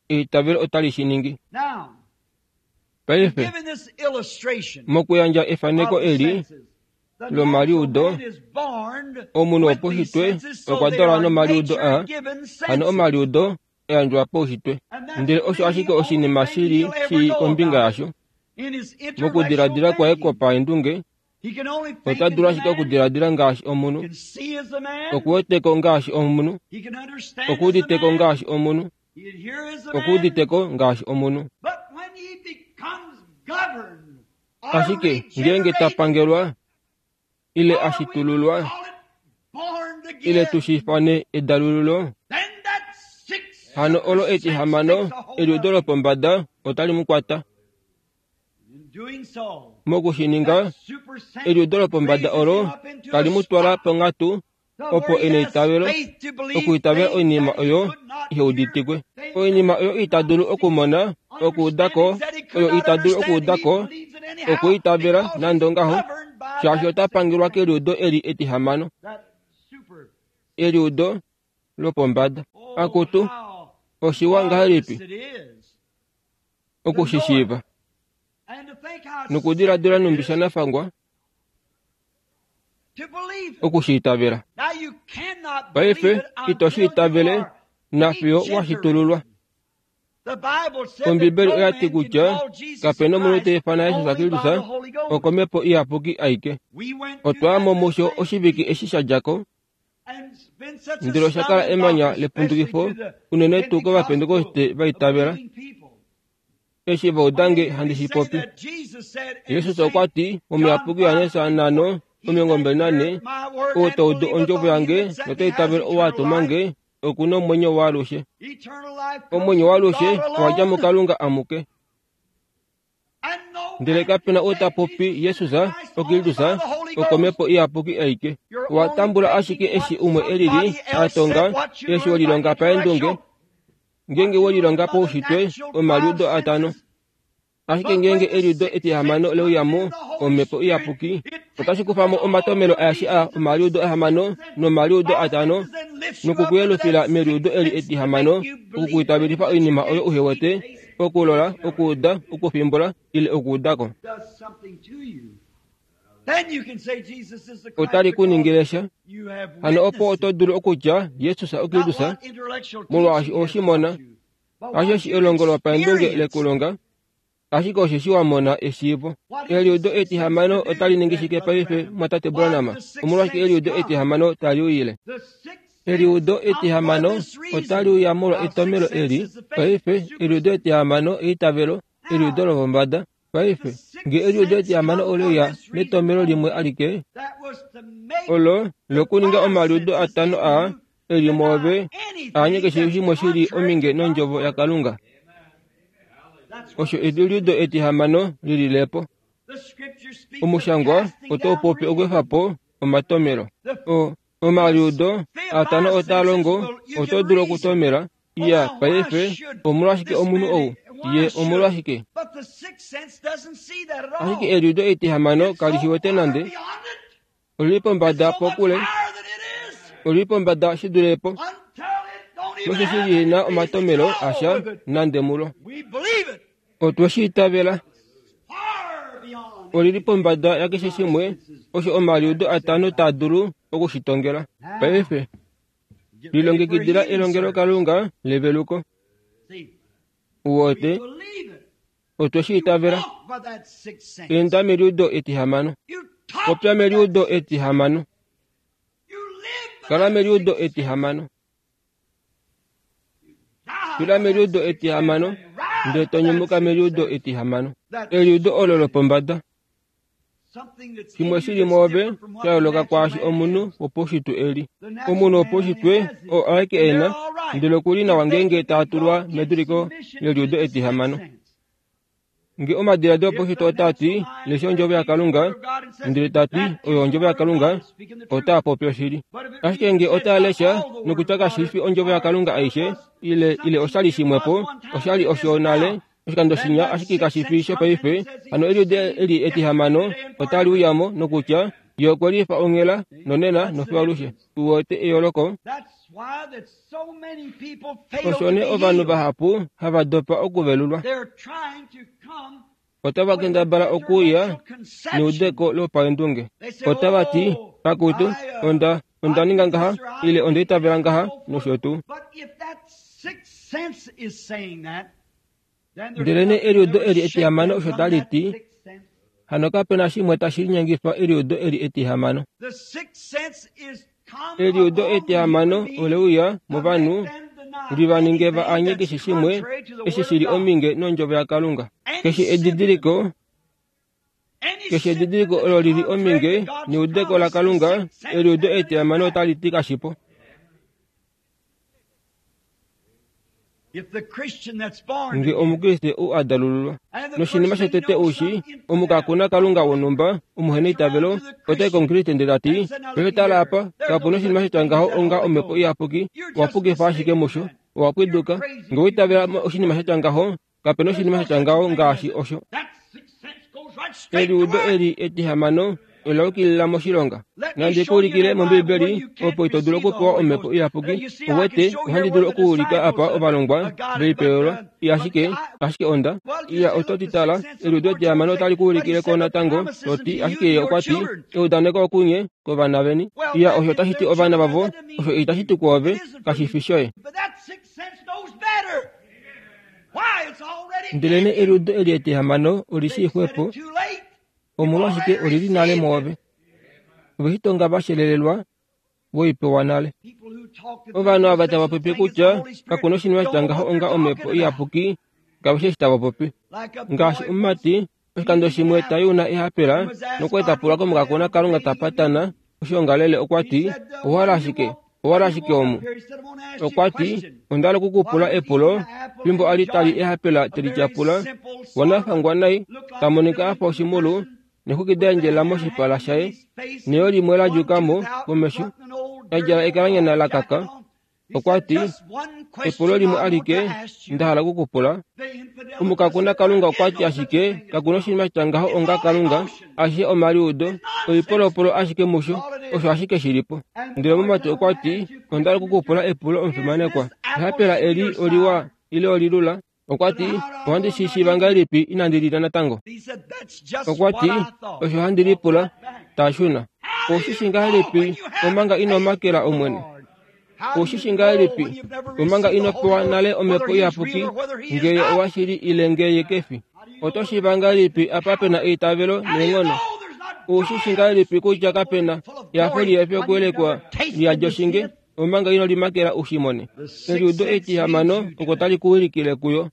eitavelo otali shi ningi. Paife, mokuyandja efaneko eli lomaliudo, omunhu wopaushitwe okwa dalwa nomaliudo a, hano omaliudo eyandjwa paushitwe. Ndele osho ashike oshinima shili shii kombinga yasho. Mokudiladila kwaye kwopaendunge, ota dulu ashike okudiladila ngaashi omunhu, okuweteko ngaashi omunhu, okuuditeko ngaashi omunhu, okuuditeko ngaashi omunhu. Ashike ngeenge ta pangelwa ile ashitululwa ile tushifane edalululo, hano olo etihamano eliudo lopombada otali mu kwata. Mokushininga, eliudo lopombada olo tali mu twala ponghatu opo e neitavelo okuitavela oinima oyo iheuditikwe, oinima oyo ita dulu okumona, okuudako, oyo ita dulu okuudako, okuitavela nande ongaho, shaashi ota pangelwa keliudo eli etihamano, eliudo lopombada. Akutu, oshiwa ngahelipi okushishiiva nokudiladila numbi shanafangwa okushiitavela. Paife ito shiitavele nafiyo washitululwa. Ombibeli oya ti kutya kape nomunhu ta ifana Jesus Kristus okomhepo iyapuki aike. Otwa mo musho oshivike eshi sha dja ko, ndele osha kala emanya lepundukifo unene tuu kovapentekoste va itavela. Eshi vaudange handi shi popi, Jesus okwa ti omuyapuki Johannes nhano omilongo mbali nane, ou ta udu ondjovo yange nota itavele ou a tuma nge, oku na omwenyo waalushe. Omwenyo waalushe owa dja muKalunga amuke. Ndele kape na ou ta popi Jesus oKristus okomhepo iyapuki aike. Owa tambula ashike eshi umwe elili a tonga, eshi welilonga paendunge, ngeenge welilonga paushitwe omaliudo atano. Ashike ngeenge eliudo etihamano leuyamu omhepo iyapuki, otashi kufa mo omatomelo aeshe a omaliudo ahamano nomaliudo atano nokukuyelufila meliudo eli etihamano, okukuitavelifa oinima oyo uhe wete, okulola, okuuda, okufimbula ile okuudako. Otali ku ningile sha. Hano opo oto dulu okutya Jesus oKristus, molwaashi oshimona. Hasheshi elongo lopaendunge lekulonga, ashike osheshi wa mona eshiivo. Eliudo etihamano otali ningi shike paife, mwatate Branham? Omolwashike eliudo etihamano tali uyile? Eliudo etihamano otali uya molwa etomelo eli. Paife eliudo etihamano eitavelo, eliudo lopombada. Paife nge eliudo etihamano ole uya netomelo limwe alike, olo lokuninga omaliudo atano a eli mwoove aanye keshe shimwe shili ominge nondjovo yaKalunga. Osho eliudo etihamano lililepo. Omushangwa otau popi okweefa po omatomelo. O omaliudo atano otaa longo, oto dulu okutomela. Iya, paife omolwashike omunhu ou? Ye omolwashike? Ashike eliudo etihamano kali shi wete nande. Olili pombada pokule, olili pombada shi dule po, nosheshi lihena omatomelo asha nande mulo. Otwe shi itavela. Olili pombada yakeshe shimwe osho omaliudo atano taa dulu okushitongela. Paife lilongekidila elongelokalunga leveluko. Uwote, otwe shi itavela. Enda meliudo etihamano. Popya meliudo etihamano. Kala meliudo etihamano. Fila meliudo etihamano, ndele to nyumuka meliudo etihamano. Eliudo olo lopombada. Shimwe shili mwoove sha yooloka kwaashi omunhu wopaushitwe eli. Omunhu wopaushitwe oo aeke ena, ndele okuli nawa ngeenge taa tulwa meduliko leliudo etihamano. Nge omadiladilo opaushitwe otaa ti lesha ondjovo yaKalunga, ndele ta ti oyo ondjovo yaKalunga, otaa popi oshili. Ashike nge otaa lesha nokutya kashi fi ondjovo yaKalunga aishe, ile ile oshali shimwepo, oshali osho nale oshikando shinya ashike kashi fi shopaife, hano eliudo eli etihamano otali uyamo nokutya ye okwe lifa onghela nonena nofiyo alushe. Uwete eyooloko? Osho nee ovanhu vahapu hava dopa okuvelulwa. Otava kendabala okuuya neudeko lopaendunge. Otava ti, akutu, onda onda ninga ngaha, ile onda itavela ngaha, nosho tuu. Ndelenee eliudo eli etihamano osho tali ti, hano kape na shimwe tashi linyengifa eliudo eli etihamano. Eliudo etihamano ole uya movanhu li va ninge va anye keshe shimwe eshi shili ominge nondjovo yaKalunga. Keshe edidiliko, keshe edidiliko olo lili ominge neudeko laKalunga, eliudo etihamano otali ti kashipo. Nge omukriste ou a dalululwa noshinima shotete oushi omukakuna Kalunga wonhumba omuheneitavelo otai komukriste ndele tati paife tala apa kapu noshinima shatya ngaho onga omhepo iyapuki, owa pukifa ashike musho, owa pwiduka. Nge owa itavela oshinima shatya ngaho, kape noshinima shatya ngaho ngaashi osho. Eliudo eli etihamano ola yukilila moshilonga. Nandi kuulikile mOmbibeli opo ito dulu okupewa omhepo iyapuki. Uwete, ohandi dulu okuulika apa ovalongwa veipewelwa, ashike ashike onda iya oto ti tala, eliudo etihamano otali kuulikile ko natango, to ti ashike ye okwa ti eudaneko okunye kovana veni. Iya osho otashi ti ovana vavo, osho itashi ti kwoove, kashi fi shoye. Ndelenee eliudo eli etihamano oli shii xwepo, omolwashike olili nale mwoove. Ove shi tonga vashelelelwa voipewa nale. Ovanhu ava tava popi kutya kakuna oshinima shatya ngaho onga omhepo iyapuki, kave shi eshi tava popi. Ngaashi omumati oshikando shimwe tayuna ehapela nokwa tapulwa komukakona Kalunga tapatana oshiongalele okwa ti owahala ashike, owahala ashike omu. Okwa ti onda hala okukupula epulo fimbo ali tali ehapela telityapula, wanafangwa nai, ta monika afa oshimulu, nexwiki da endjelela moshipala shaye, neyo limwe la djuka mo komesho, a djala ekalanyana la kaka. Okwa ti epulo limwe alike nda hala okukupula. Omukakuna Kalunga okwa ti ashike kakuna oshinima shatya ngaho onga Kalunga, ashishe omaliudo, oipolopolo ashike musho, osho ashike shilipo. Ndele omumati okwa ti onda hala okukupula epulo omufimanekwa, ehapela eli oliwa ile olilula? Okwa ti ohandi shi shiiva ngahelipi inandi lilya natango? Okwa ti osho handi lipula, ta shuna. Oushi shi ngahelipi omanga ino makela Omwene? Oushi shi ngahelipi omanga ino pewa nale omhepo iyapuki, ngee owashili ile ngee kefi? Oto shiiva ngahelipi apa pena eitavelo neenghono? Oushi shi ngahelipi kutya kapena ehafo lihefi okuyelekwa liyadi oshinge omanga ino limakela ushimone? Eliudo etihamano oko tali kuwilikile kuyo.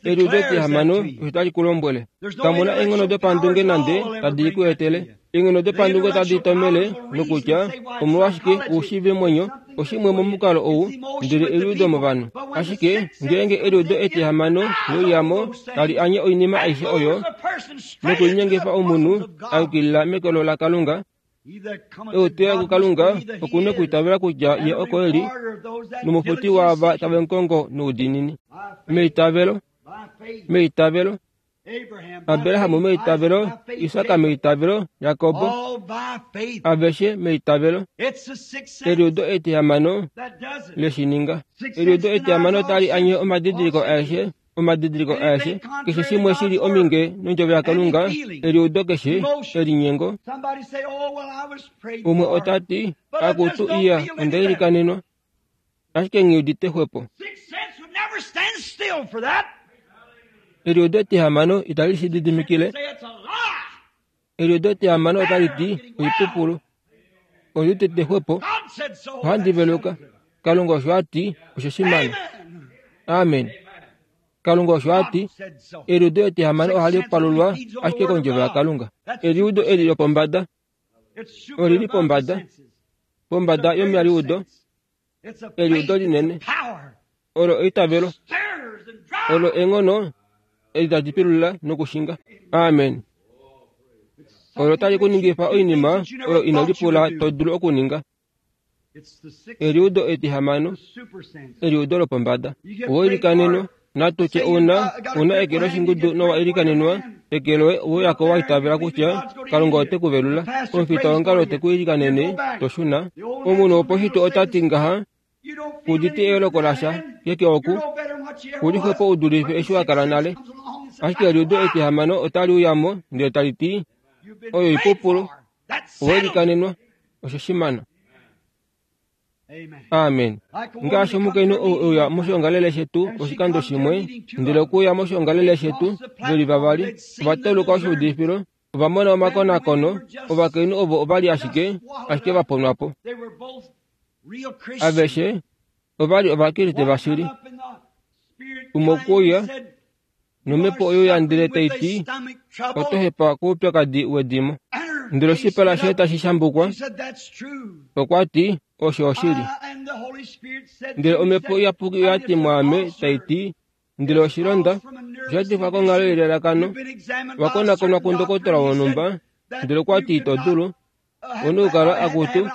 Eliudo etihamano osho tali kulombwele. Kamuna eenghono dopandunge nande tadi ku etele. Eenghono dopandunge otadi tomele nokutya omolwashike oushiive mwenyo oshimwe momukalo ou, ndele eliudo movanhu. Ashike ngeenge eliudo etihamano leuyamo tali anye oinima aishe oyo nokulinyengifa omunhu a yukilila mekolo laKalunga, euteya kuKalunga okuna okwiitavela kutya ye oko eli, nomufuti waava tave mukongo noudiinini. Meitavelo, meitavelo, Abraham meitavelo, Isak meitavelo, Jakob aveshe meitavelo. Eliudo etihamano leshininga. Eliudo etihamano otali anye omadidiliko aeshe, omadidiliko aeshe, keshe shimwe shili ominge nondjovo yaKalunga, eliudo keshe elinyengo. Umwe ota ti, akutu iya onda ilikanenwa, ashike nghi udite xwepo. Eliudo etihamano itali shi didimikile. Eliudo etihamano otali ti oipupulu. Ondi udite xwepo, ohandi veluka. Kalunga osho a ti, osho shimano. Amen. Kalunga osho a ti, eliudo etihamano ohali palulwa ashike kondjovo yaKalunga. Eliudo eli lopombada, olili pombada, pombada yomaliudo, eliudo linene, olo eitavelo, olo eenghono Eli tali pilula nokushinga. Amen. Olo tali kuningifa oinima oyo ino lipula to dulu okuninga. Eliudo etihamano, eliudo lopombada. Owoilikanenwa, natutye una una eke loshingudu nowa ilikanenwa, eke loye ouyako wa itavela kutya Kalunga ote ku velula. Omufita wongalo te ku ilikanene, to shuna. Omunhu woposhito ota ti ngaha, kuditi eyooloko lasha keke oku, kulixwepo u dulife eshi wa kala nale. Ashike eliudo etihamano otali uyamo ndele tali ti, oyo ipupulu, owoilikanenwa, osho shimana. Amen. Ngaashi omukainhu ou euya moshiongalele shetu oshikando shimwe, ndele okuuya moshiongalele shetu veli vavali, ova tauluka oshiudifilo, ova mona omakonakono, ovakainhu ovo ovali ashike ashike va ponwa po. Aveshe ovali ovakriste vashili. Umwe okuuya nomhepo oyo ya ndele tai ti, oto hepa koupyakadi wedimo. Ndele oshipala shaye tashi shambukwa, okwa ti, osho oshili. Ndele omhepo iyapuki oya ti mwaame tai ti, ndele oshilonda osha tifwa konghalo yelalakano, wakonakonwa kundokotola wonhumba, ndele okwa ti ito dulu, una okukala akutu,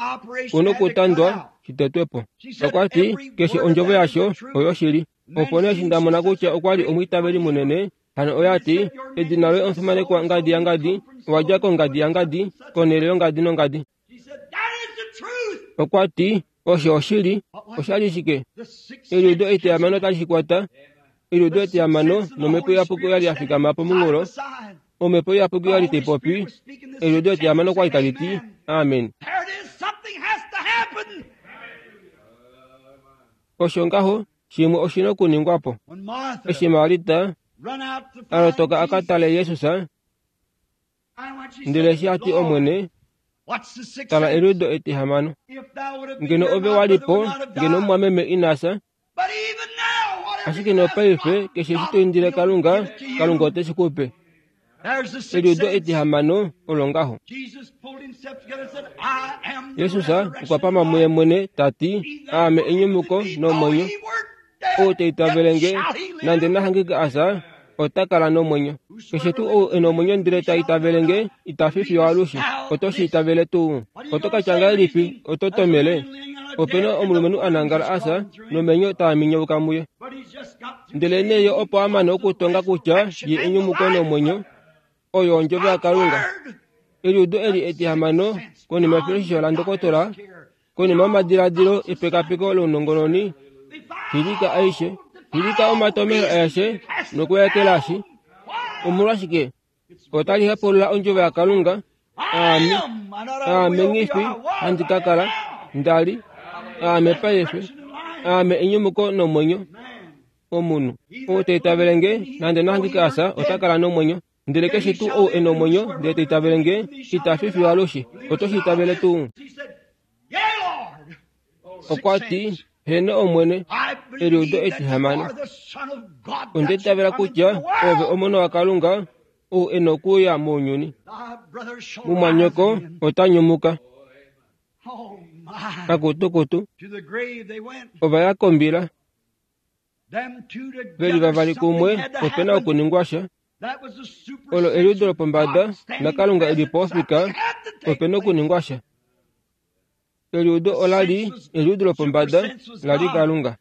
una okutandwa shitetwe po. Okwa ti keshe ondjovo yasho oyoshili. Opo nee eshi nda mona kutya okwa li omwiitaveli munene, hano oya ti, edina loye omufimanekwa ngadi yangadi, owa dja kongadi yangadi, konhele yongadi nongadi. Okwa ti, osho oshili. Osha li shike? Eliudo etihamano otali shi kwata. Eliudo etihamano nomhepo iyapuki oya li ya fikama pomunghulo. Omhepo iyapuki oya li tai popi. Eliudo etihamano okwa li tali ti, amen. Osho ngaho, shimwe oshina okuningwa po. Eshi Marita a lotoka a ka tale Jesus, ndele eshi a ti Omwene, tala eliudo etihamano. Ngeno ove wa li po, ngeno omumwameme ina fya. Ashike nopaife keshe eshi to indile Kalunga, Kalunga ote shi ku pe. Eliudo etihamano olo ngaho. Jesus okwa pama muye mwene ta ti, aame enyumuko nomwenyo. Ou ta itavele nge, nande na hangike a fya, ota kala nomwenyo. Keshe tuu ou e nomwenyo ndele ta itavele nge, ita fi fiyo alushe. Oto shi itavele tuu? Oto ka tya ngahelipi? Oto tomele? Ope na omulumenhu a nangala a fya, nomenyo taa minyauka muye. Ndele nee ye opo a mane okutonga kutya ye enyumuko nomwenyo, oyo ondjovo yaKalunga. Eliudo eli etihamano, konima yefiloshisho landokotola, konima yomadiladilo epekapeko lounongononi, filika aishe, filika omatomelo aeshe nokuekelashi. Omolwashike? Otali hepulula ondjovo yaKalunga. Aame, aame nghifi handi ka kala, nda li, aame paife, aame enyumuko nomwenyo. Omunhu ou ta itavele nge, nande na hangike a fya, ota kala nomwenyo. Ndele keshe tuu ou e nomwenyo ndele ta itavele nge, ita fi fiyo alushe. Oto shi itavele tuu? Okwa ti, heno Omwene, eliudo etihamano. Onda itavela kutya ove omona waKalunga, ou e nokuuya mounyuni. Mumwanyoko ota nyumuka. Akutukutu, ova ya kombila. Veli vavali kumwe, ope na okuningwa sha. Olo eliudo lopombada, naKalunga e li po ofika, ope na okuningwa sha. Eliudo ola li eliudo lopombada la li Kalunga.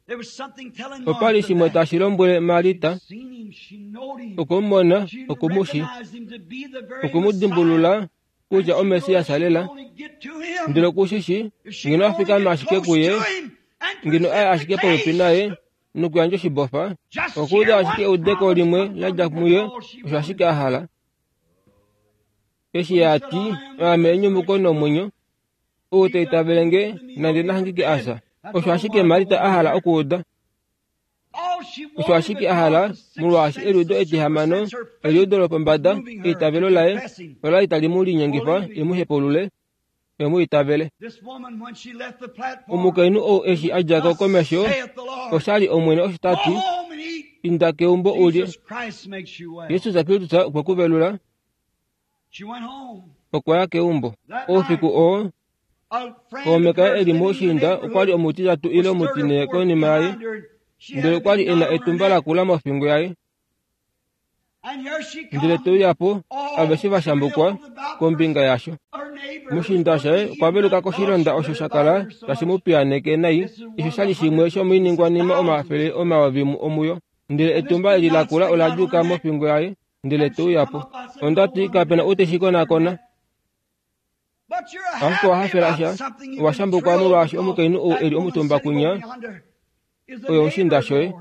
Opa li shimwe tashi lombwele Marita, okumumona, okumushi, okumudimbulula kutya oMessias lela. Ndele okushishi, ngeno a fikama ashike kuye, ngeno aye ashike popepi naye nokuyandja oshibofa, okuuda ashike eudeko limwe la dja muye, osho ashike a hala. Eshi a ti, aame enyumuko nomwenyo, ou ta itavele nge, nande na hangike a fya. Osho ashike Marita a hala okuuda. Osho ashike a hala, molwaashi eliudo etihamano, eliudo lopombada, eitavelo laye ola li tali mu linyengifa e mu hepulule, e mu itavele. Omukainhu ou eshi a dja ko komesho, osha li Omwene osho ta ti, inda keumbo ulye. Jesus Kristus okwe ku velula. Okwa ya keumbo. Oufiku oo, kaume kaye e li moushiinda okwa li omutitatu ile omutine konima yaye, ndele okwa li e na etumba lakula mofingo yaye. Ndele te uya po aveshe va shambukwa kombinga yasho. Mushinda shaye okwa veluka koshilonda osho sha kala tashi mu piyaaneke nai, osho sha li shimwe shomoiningwanima omafele omayovi omuyo. Ndele etumba eli lakula ola djuuka mofingo yaye, ndele te uya po. Onda ti kapena ou teshi konakona. Ashike owa hafela sha, owa shambukwa molwaashi omukainhu ou eli omutumba kunya oyo oshinda shoye,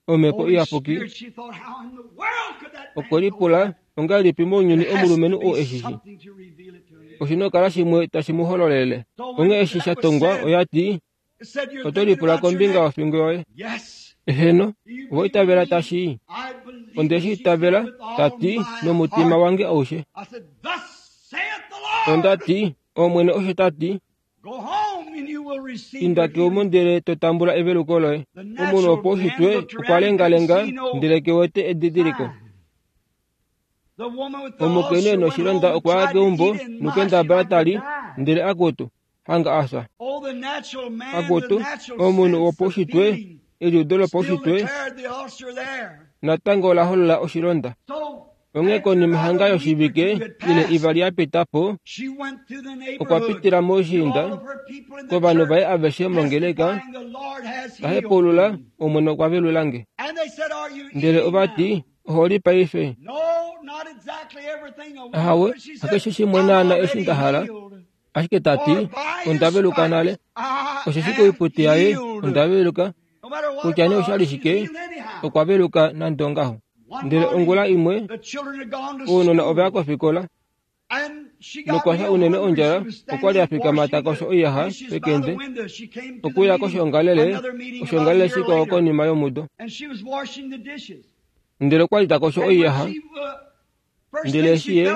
Omhepo Iyapuki. Okwe lipula ongahelipi mounyuni omulumenhu ou eshishi. Oshi nokala shimwe tashi mu hololele. Onghee eshi sha tongwa oya ti, oto lipula kombinga yofingo yoye. Eheno, owa itavela tashi? Onde shi itavela, ta ti, nomutima wange aushe. Onda ti, Omwene osho ta ti, inda keumbo ndele to tambula eveluko loye. Omunhu wopaushitwe okwa lengalenga ndele ke wete edidiliko. Omukainhu e noshilonda okwa ya keumbo nokendabala tali ndele akutu, hanga afya. Akutu, omunhu wopaushitwe, eliudo lopaushitwe natango ola holola oshilonda. Onghee konima hanga yoshivike ile ivali ya pita po, okwa pitila moushiinda kovanhu vaye aveshe mongeleka, ta hepaulula, Omwene okwa velula nge. Ndele ova ti, oho li paife? Ahawe, hakeshe shimwe naana eshi nda hala. Ashike ta ti, onda veluka nale. Osheshi koiputi yaye onda veluka, kutya nee osha li shike, okwa veluka nande ongaho. Ndele ongula imwe, ounona ova ya kofikola, nokwa fya unene ondjala, okwa li a fikama ta kosho oiyaxa pekende, okuya koshoongalele, oshoongalele shikwao konima yomudo. Ndele okwa li ta kosho oiyaxa, ndele eshi ye,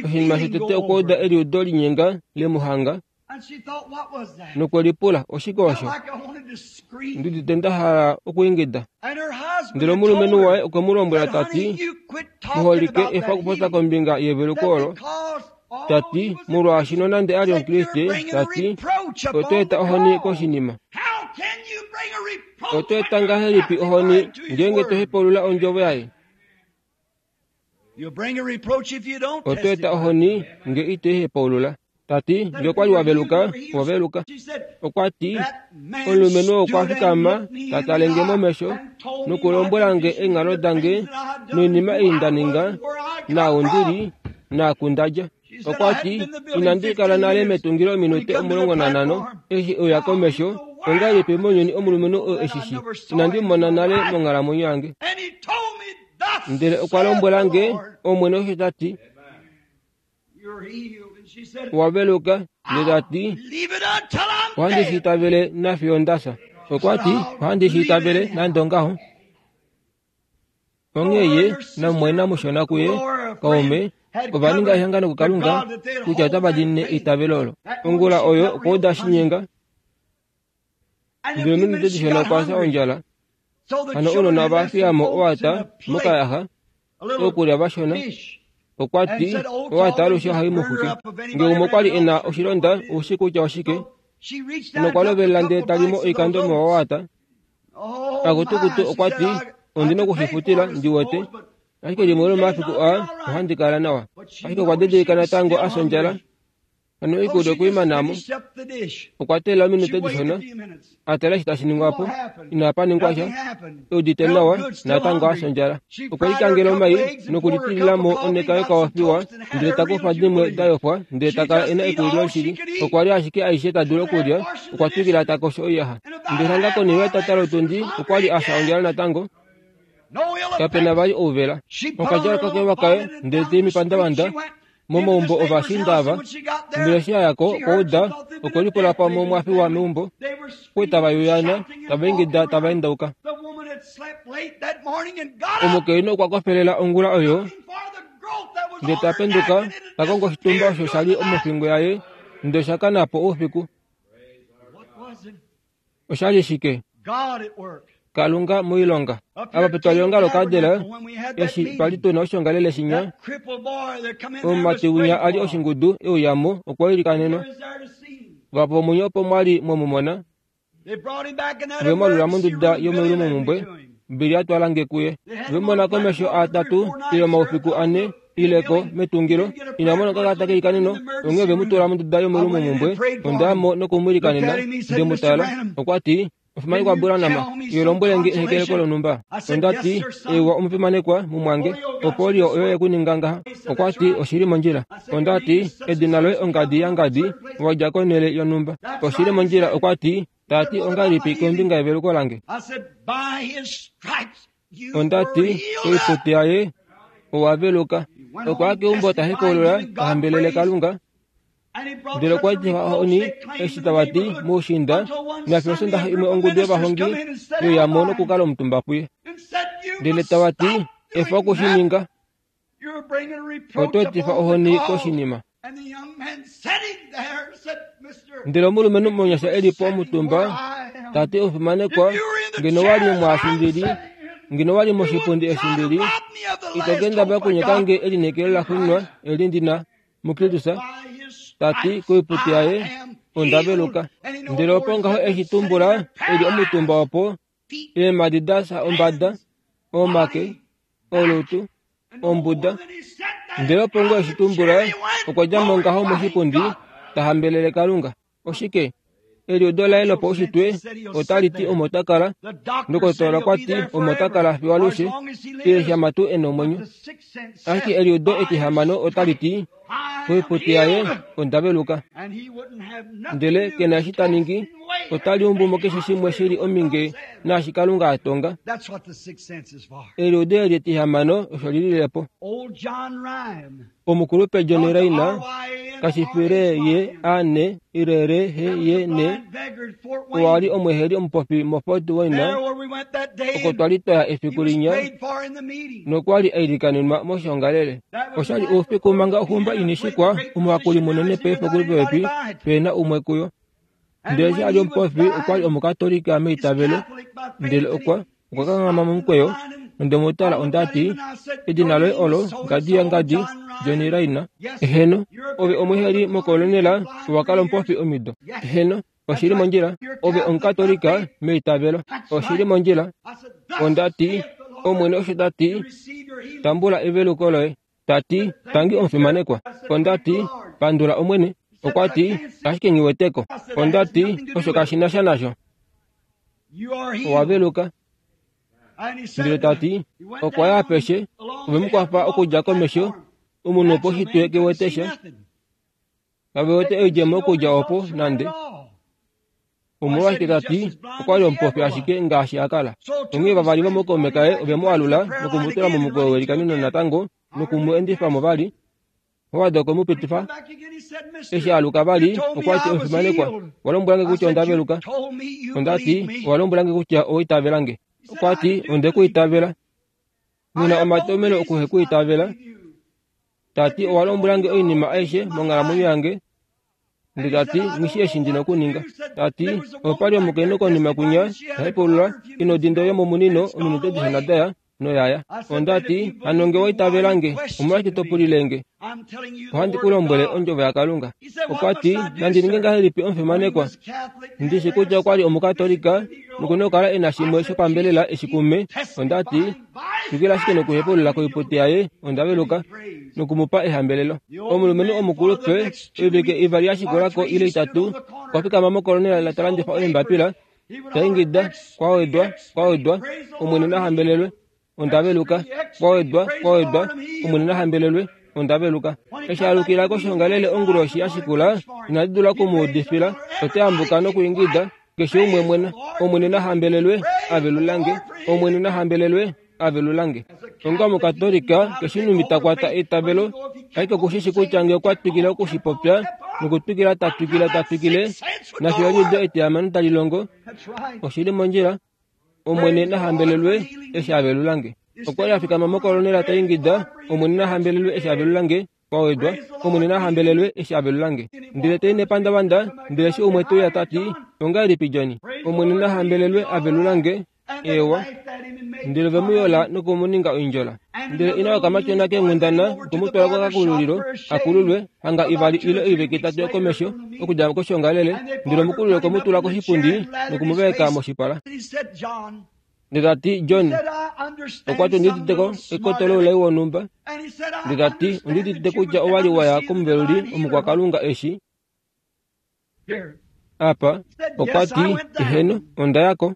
oshinima shotete okwa uda eliudo linyenga lemuhanga, nokwe lipula, oshike osho? Ndi udite nda hala okwiingida. Ndele omulumenhu waye okwe mu lombwela ta ti, muholike efa okupopya kombinga yeveluko olo, ta ti, molwaashi nonande a li Omukriste, ta ti, oto eta ohoni koshinima. Oto eta ngahelipi ohoni ngeenge to hepaulula ondjovo yaye? Oto eta ohoni nge ito i hepaulula. Ta ti, nge okwa li wa veluka, owa veluka. Okwa ti, omulumenhu okwa fikama ta tale nge momesho nokulombwela nge eenghalo dange noinima ei nda ninga, naau ndi li, naaku nda dja. Okwa ti, inandi kala nale metungilo ominute omulongo nanhano eshi e uya komesho, ongahelipi mounyuni omulumenhu oo eshishi, inandi mu mona nale monghalamwenyo yange. Ndele okwa lombwela nge, Omwene osho ta ti, owa veluka, ndele ta ti, ohandi shi itavele nafiyo nda fya. Okwa ti, ohandi shi itavele nande ongaho. Onghee ye namumwaina mushona kuye, kaume, ova ninga ehangano kuKalunga kutya otava diinine eitavelo olo. Ongula oyo okwa uda shinyenga, ndele ominute dishona okwa fya ondjala. Hano ounona ova fiya mo owata mokayaxa, okulya vashona. Okwa ti, owata alushe ohai mu xwike. Nge umwe okwa li e na oshilonda, oushi kutya oshike, nokwa lovelela ndele tali mo oikando mowata. Akutukutu okwa ti, ondi nokushifutila ndi wete, ashike limwe lomafiku aa ohandi kala nawa. Ashike okwa didilika natango a fya ondjala. Hano oikulya okwe i mana mo. Okwa teelela ominute dishona, a tala eshi tashi ningwa po, inapa ningwa sha, e udite nawa, natango a fya ondjala. Okwe likangela omai nokulitilila mo oneka yokaofiwa, ndele ta kufa dimwe da yofwa, ndele ta kala e na ekulilo shili. Okwa li ashike aishe ta dulu okulya, okwa twikila ta kosho oiyaxa. Ndele hanga konima yetata lotundi okwa li a fya ondjala natango, kapena vali ouvela. Okadjala okakewa kaye, ndele ta i mepandavanda, momaumbo ovashiinda ava. Ndele eshi a ya ko okwa uda, okwe lipula pamwe omwa fiwa meumbo, okwe tava yuyana, tava ingida tava endauka. Omukainhu okwa kofelela ongula oyo, ndele ta penduka, ta kongo oshitumba osho sha li mofingo yaye, ndele osha kana po oufiku. Osha li shike? Kalunga moilonga. Apa petwalihonga lokaadela, eshi twali tuna oshoongalele shinya, omumati winya a li oshingudu e uya mo, okwa ilikanenwa. Vahapu vomunye opo mwa li mwemumona, ve mu alula monduda yomeulumomumbwe, Billy a twala nge kuye. Vemona komesho atatu ile omaufiku ane ileko metungilo ina mono kakata keikaneno onghee ve mu tula monduda yomolumomhumbwe. Ondayamo nokumwilikanena nde mu tala. Okwa ti omufimanekwa Branham, iwe lombwele nge ehekeleko lonhumba. Onda ti ewa omufimanekwa mumwange, opolio oyo yekuninga ngaha. Okwa ti oshili mondjila. Onda ti edina loye ongadi yangadi wadja konhele yonhumba. Oshili mondjila. Okwa ti tati ongalipi kombinga yeveluko lange. Onda ti oiputi yaye owaveluka. Okwa keumbo ta hepaulula tahambelele Kalunga. Ndele okwa tifa ohoni eshi tava ti moushiinda nafiyo Osondaxa imwe ongudu yovahongi yoyamo nokukala omutumba puye. Ndele tava ti efa okushininga, oto etifa ohoni koshinima. Ndele omulumenhu monyasha e li po omutumba tati omufimanekwa, ngeno wali mwaashi ndili, ngeno wali moshipundi eshi ndili, ito kendabala okunyeka nge elineekelo laxuuninwa eli ndina muKristus. Tati koiputi yaye ondaveluka. Ndele opo ngaho eshi tumbula eli omutumba opo eemhadi da fya ombada, omake, olutu, ombuda. Ndele opo ngoo eshi tumbula okwa dja mo ngaho moshipundi ta hambelele Kalunga. Oshike? Eliudo laye lopaushitwe otali ti omo ta kala, ndokotola okwa ti omo ta kala fiyo alushe, ile shama tuu e na omwenyo. Ashike eliudo etihamano otali ti koiputi yaye ondaveluka. Ndele ke na eshi ta ningi, otali umbu mo keshe shimwe shili ominge naashi Kalunga a tonga. Eliudo eli etihamano osho lilile po. Omukulupe John Raina kashifile ye ane irere he ye ne owa li omweheli omupofi moFort Wayne, oko twali twaya efiku linya nokwa li ailikanenwa moshongalele. Oshali oufiku manga oxumba inishikwa omuhakuli munene paife okuli popepi pena umwe kuyo. Ndele eshi a li omupofi okwa li omukatolika meitavelo, ndele okwa okwa kanghama momukweyo nonde mu tala onda ti edina loye olo ngadi yangadi John Raina. Eheno, ove omweheli mokolonela owa kala omupofi omido. Eheno, oshili mondjila. Ove omukatolika meitavelo. Oshili mondjila. Onda ti Omwene osho ta ti tambula eveluko loye. Ta ti tangi omufimanekwa. Onda ti pandula Omwene. Okwa ti ashike nghiweteko. Onda ti osho kashi na sha nasho. Owaveluka. Ndele ta ti okwa ya apeshe ove mu kwafa okudja komesho omunhu opo shitwe kewete sha. Kave wete oidjemo okudja opo nande. Omolwashike ta ti okwa li omupofi ashike ngaashi a kala. Onghee vavali vomookaume kaye ove mu alula nokumutula momukweyo welikaneno natango nokumu endifa mo vali. Howard okwe mu pitifa. Eshi aluka vali okwa ti omufimanekwa, owa lombwela nge kutya onda veluka. Onda ti owa lombwela nge kutya owa itavela nge. Okwa ti onde ku itavela. Nghi na omatomhelo okuhekuitavela. Ta ti owa lombwela nge oinima aishe monghalamwenyo yange. Ndele ta ti nghi eshi ndina okuninga. Ta ti opa li omukainhu konima kunya ta hepaulula ino dinda yomomunino ominute dishona daya noyaya. Onda ti hano nge wa itavela nge, omolwashike to pulile nge? Ohandi ku lombwele ondjovo yaKalunga. Okwa ti nandi ninge ngahelipi omufimanekwa? Ndishi kutya okwa li omukatolika nokuna okukala e na shimwe shopambelela eshi kume. Onda ti twikila ashike nokuhepaulula koiputi yaye onda veluka nokumupa ehambelelo. Omulumenhu omukulupe oivike ivali ya shikulako ile itatu okwa fikama mokolonela ta landifa oimbapila ta ingida kwa wedwa kwa wedwa Omwene na hambelelwe onda veluka kwa wedwa kwa wedwa Omwene na hambelelwe onda veluka. Eshi alukila koshongalele onguloshi ya shikula inadi dula okumuudifila ote ambuka nokuingida keshe umwe mwena Omwene na hambelelwe avelulange Omwene na hambelelwe avelulange. Onga omukatolika keshe numbi ta kwata eitavelo ashike okushishi kutya nge okwa twikile okushipopya nokutwikila ta twikile ta twikile nafiyo eliudo etihamano tali longo oshili mondjila. Omwene na hambelelwe eshi avelulange. Okwa li a fikama mokolonela ta ingida Omwene na hambelelwe eshi avelulange kwa wedwa Omwene na hambelelwe eshi avelulange. Ndele tai nepandavanda ndele eshi umwe te uya ta ti ongahelipi Johnny? Omwene na hambelelwe avelulange ewa. Ndele ve mu yola nokumuninga oindjola. Ndele ina okamatyona keenghundana okumutwala kokakululilo akululwe hanga ivali ile oivike itatu yokomesho okudja koshongalele. Ndele omukululi okwe mu tula koshipundi nokumuveka moshipala. Ndele ta ti John, okwa ti ondiuditeko ekoto loulai wonhumba. Ndele ta ti ondiudite kutya owa li waya komuveluli omukwakalunga eshi apa. Okwa ti eheno, onda yako.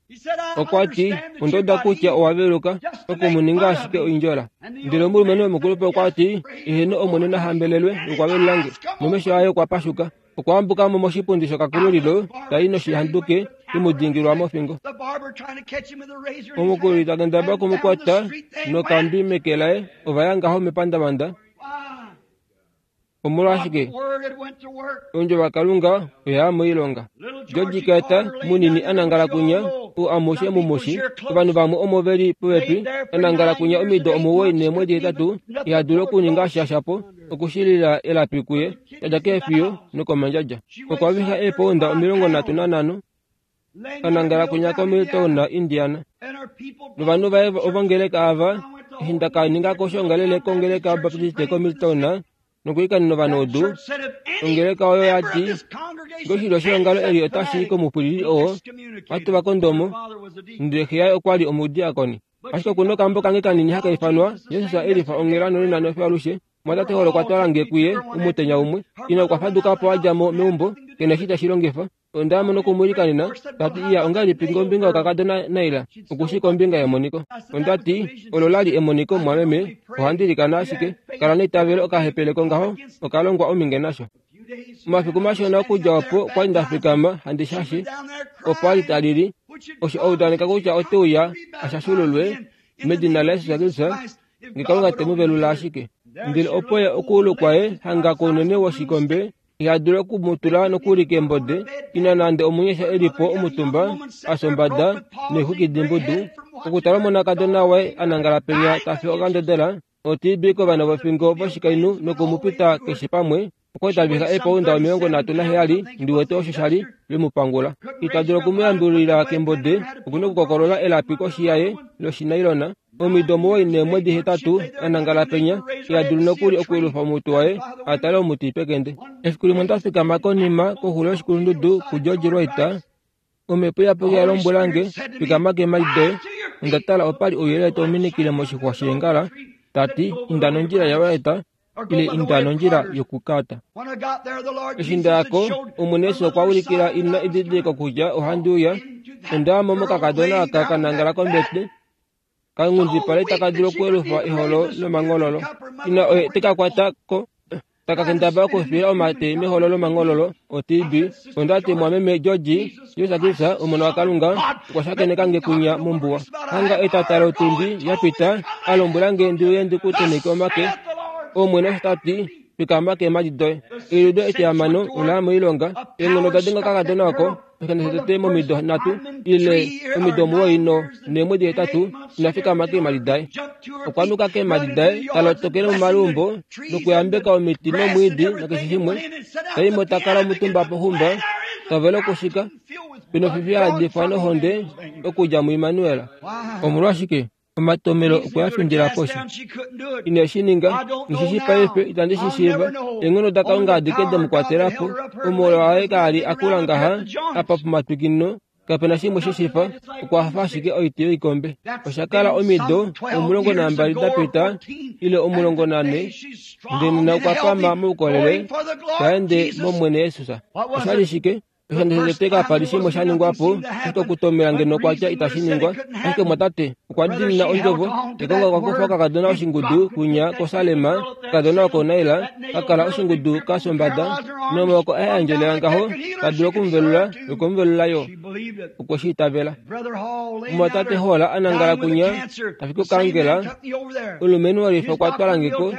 Okwa ti onda uda kutya owa veluka okumuninga ashike oindjola. Ndele omulumenhu womukulupe okwa ti eheno, Omwene na hambelelwe okwa velulange. Nomesho aye okwa pashuka. Okwa ambuka mo moshipundi shokakululilo tai noshihanduke imudingilwa mofingo. Omukululi ta kendabala okumukwata nokambi meke laye ova ya ngaho mepandavanda. Omolwashike ondjovo yaKalunga oya moilonga. George Carter munini anangala kunya ou amushe mumushi ovanhu vamwe omo veli popepi anangala kunya omido omuwoi neemwedi hetatu iha dulu okuninga sha shapo okushilila elapi kuye tadja keefiyo nokomandjadja. Okwa vixa eepounda omilongo nhatu nanhano anangala kunya koMilltown, Indiana. Novanhu vaye ovongeleka ava eshi nda ka ningako oshoongalele kongeleka Baptiste koMilltown nokuikanena ovanhu odu, ongeleka oyo ya ti ngee oshilyo sheongalo eli otashi i komupwilili oo ohatu va kondomo, ndele xe yaye okwa li omudiakoni. Ashike okuna okambo kange kanini haka ifanwa Jesus elifa onghela nonena nofiyo alushe. Mwatate Hall okwa twala nge kuye omutenya umwe. Ina okwa faduka po a dja mo meumbo kena eshi tashi longifa. Onda mona okumwiilikanena tati iya ongahelipi kombinga yokakadona Naila okushi kombinga yemoniko. Onda ti olo la li emoniko mwameme, ohandi ilikana ashike kala neitavelo okahepeleko ngaho okalongwa ominge nasho. Omafiku mashona okudja opo okwa li nda fikama handi shashi opo a li ta lili osho a udaneka kutya ote uya ashashululwe medina laJesus Kristus nge Kalunga te mu velula ashike. Ndele opo ye okuulu kwaye hanga kounene woshikombe iha dulu okumutula nokuli keembode, ina nande omunyasha e li po omutumba a sombada neexwiki dimbudu, okutala omonakadona waye a nangala penya ta fi okandodela o T B kovana vofingo voshikainhu nokumupita keshe pamwe. Okwa li ta vixa eepounda omilongo nhatu naheyali ndi wete osho sha li vemupangula. Ita dulu okumuyambulila kembode, okuna okukokolola elapi koshi yaye loshinailona. Omido omuwoi neemwedi hetatu a nangala penya, iha dulu nokuli okuyelufa omutwe waye a tale omuti pekende. Efiku limwe onda fikama konima koxulo yoshikulundudu kuGeorge Wright, omhepo iyapuki ya lombwela nge, fikama keemhadi doye. Onda tala opa li ouyelele tau minikile moshixwa sheengala, ta ti inda nondjila yaWright ile inda nondjila yokuKarter. Eshi nda yako, Omwene Jesus okwa ulikila ina edidiliko kutya ohandi uya. Onda ya mo mokakadona aka ka nangala kombete, kanghundipala itaka dulu okuyelufa eholo lomangololo. Ina oye te ka kwata ko taka kendabala okufila omate meholo lomangololo o T B. Onda ti mwameme George, Jesus Kristus omona waKalunga okwa shakeneka nge kunya mombuwa. Hanga etata lotundi ya pita a lombwela nge ndi uye ndi ku tenheke omake. Omwene osho ta ti fikama keemhadi doye. Eliudo etihamano ola ya moilonga. Eenghono oda denga okakadona oko oshikando shotete momido nhatu ile omido omuwoi no neemwedi hetatu ina fikama keemhadi daye. Okwa nuka keemhadi daye ta lotokele momaluumbo nokuyambeka omiti nomwiidi nakeshe shimwe. Taimo ta kala omutumba poxumba tovele okushika penofifi ya yadifwa nohonde okudja muImmanuel. Omolwashike omatomelo okwe a findila poshi. Ine shi ninga nghi shi paife itandi shi shiiva. Eenghono daKalunga adike demu kwatela po. Omolo waye kaali akula ngaha apa pomatwikino kapena shimwe sheshifa, okwa fa ashike oiti yoikombe. Osha kala omido omulongo nambali da pita ile omulongo nane, ndele nena okwa pama moukolele ta ende mOmwene Jesus. Osha li shike? Oshikando shotete kapa li shimwe sha ningwa po, ashike okutomela ngeno kwatya itashi ningwa. Ashike mwatate okwa diinina ondjovo, nekonga okwa kufa okakadona oshingudu kunya koSalema, okakadona oko Naila, ka kala oshingudu ka sombada, nomaoko aye a endjelela ngaho, ta dulu okumuvelula nokumuvelula yo. Okwe shi itavela. Omwatate Hall a nangala kunya, ta fiki okangela, omulumenhu wolifa okwa twala nge ko,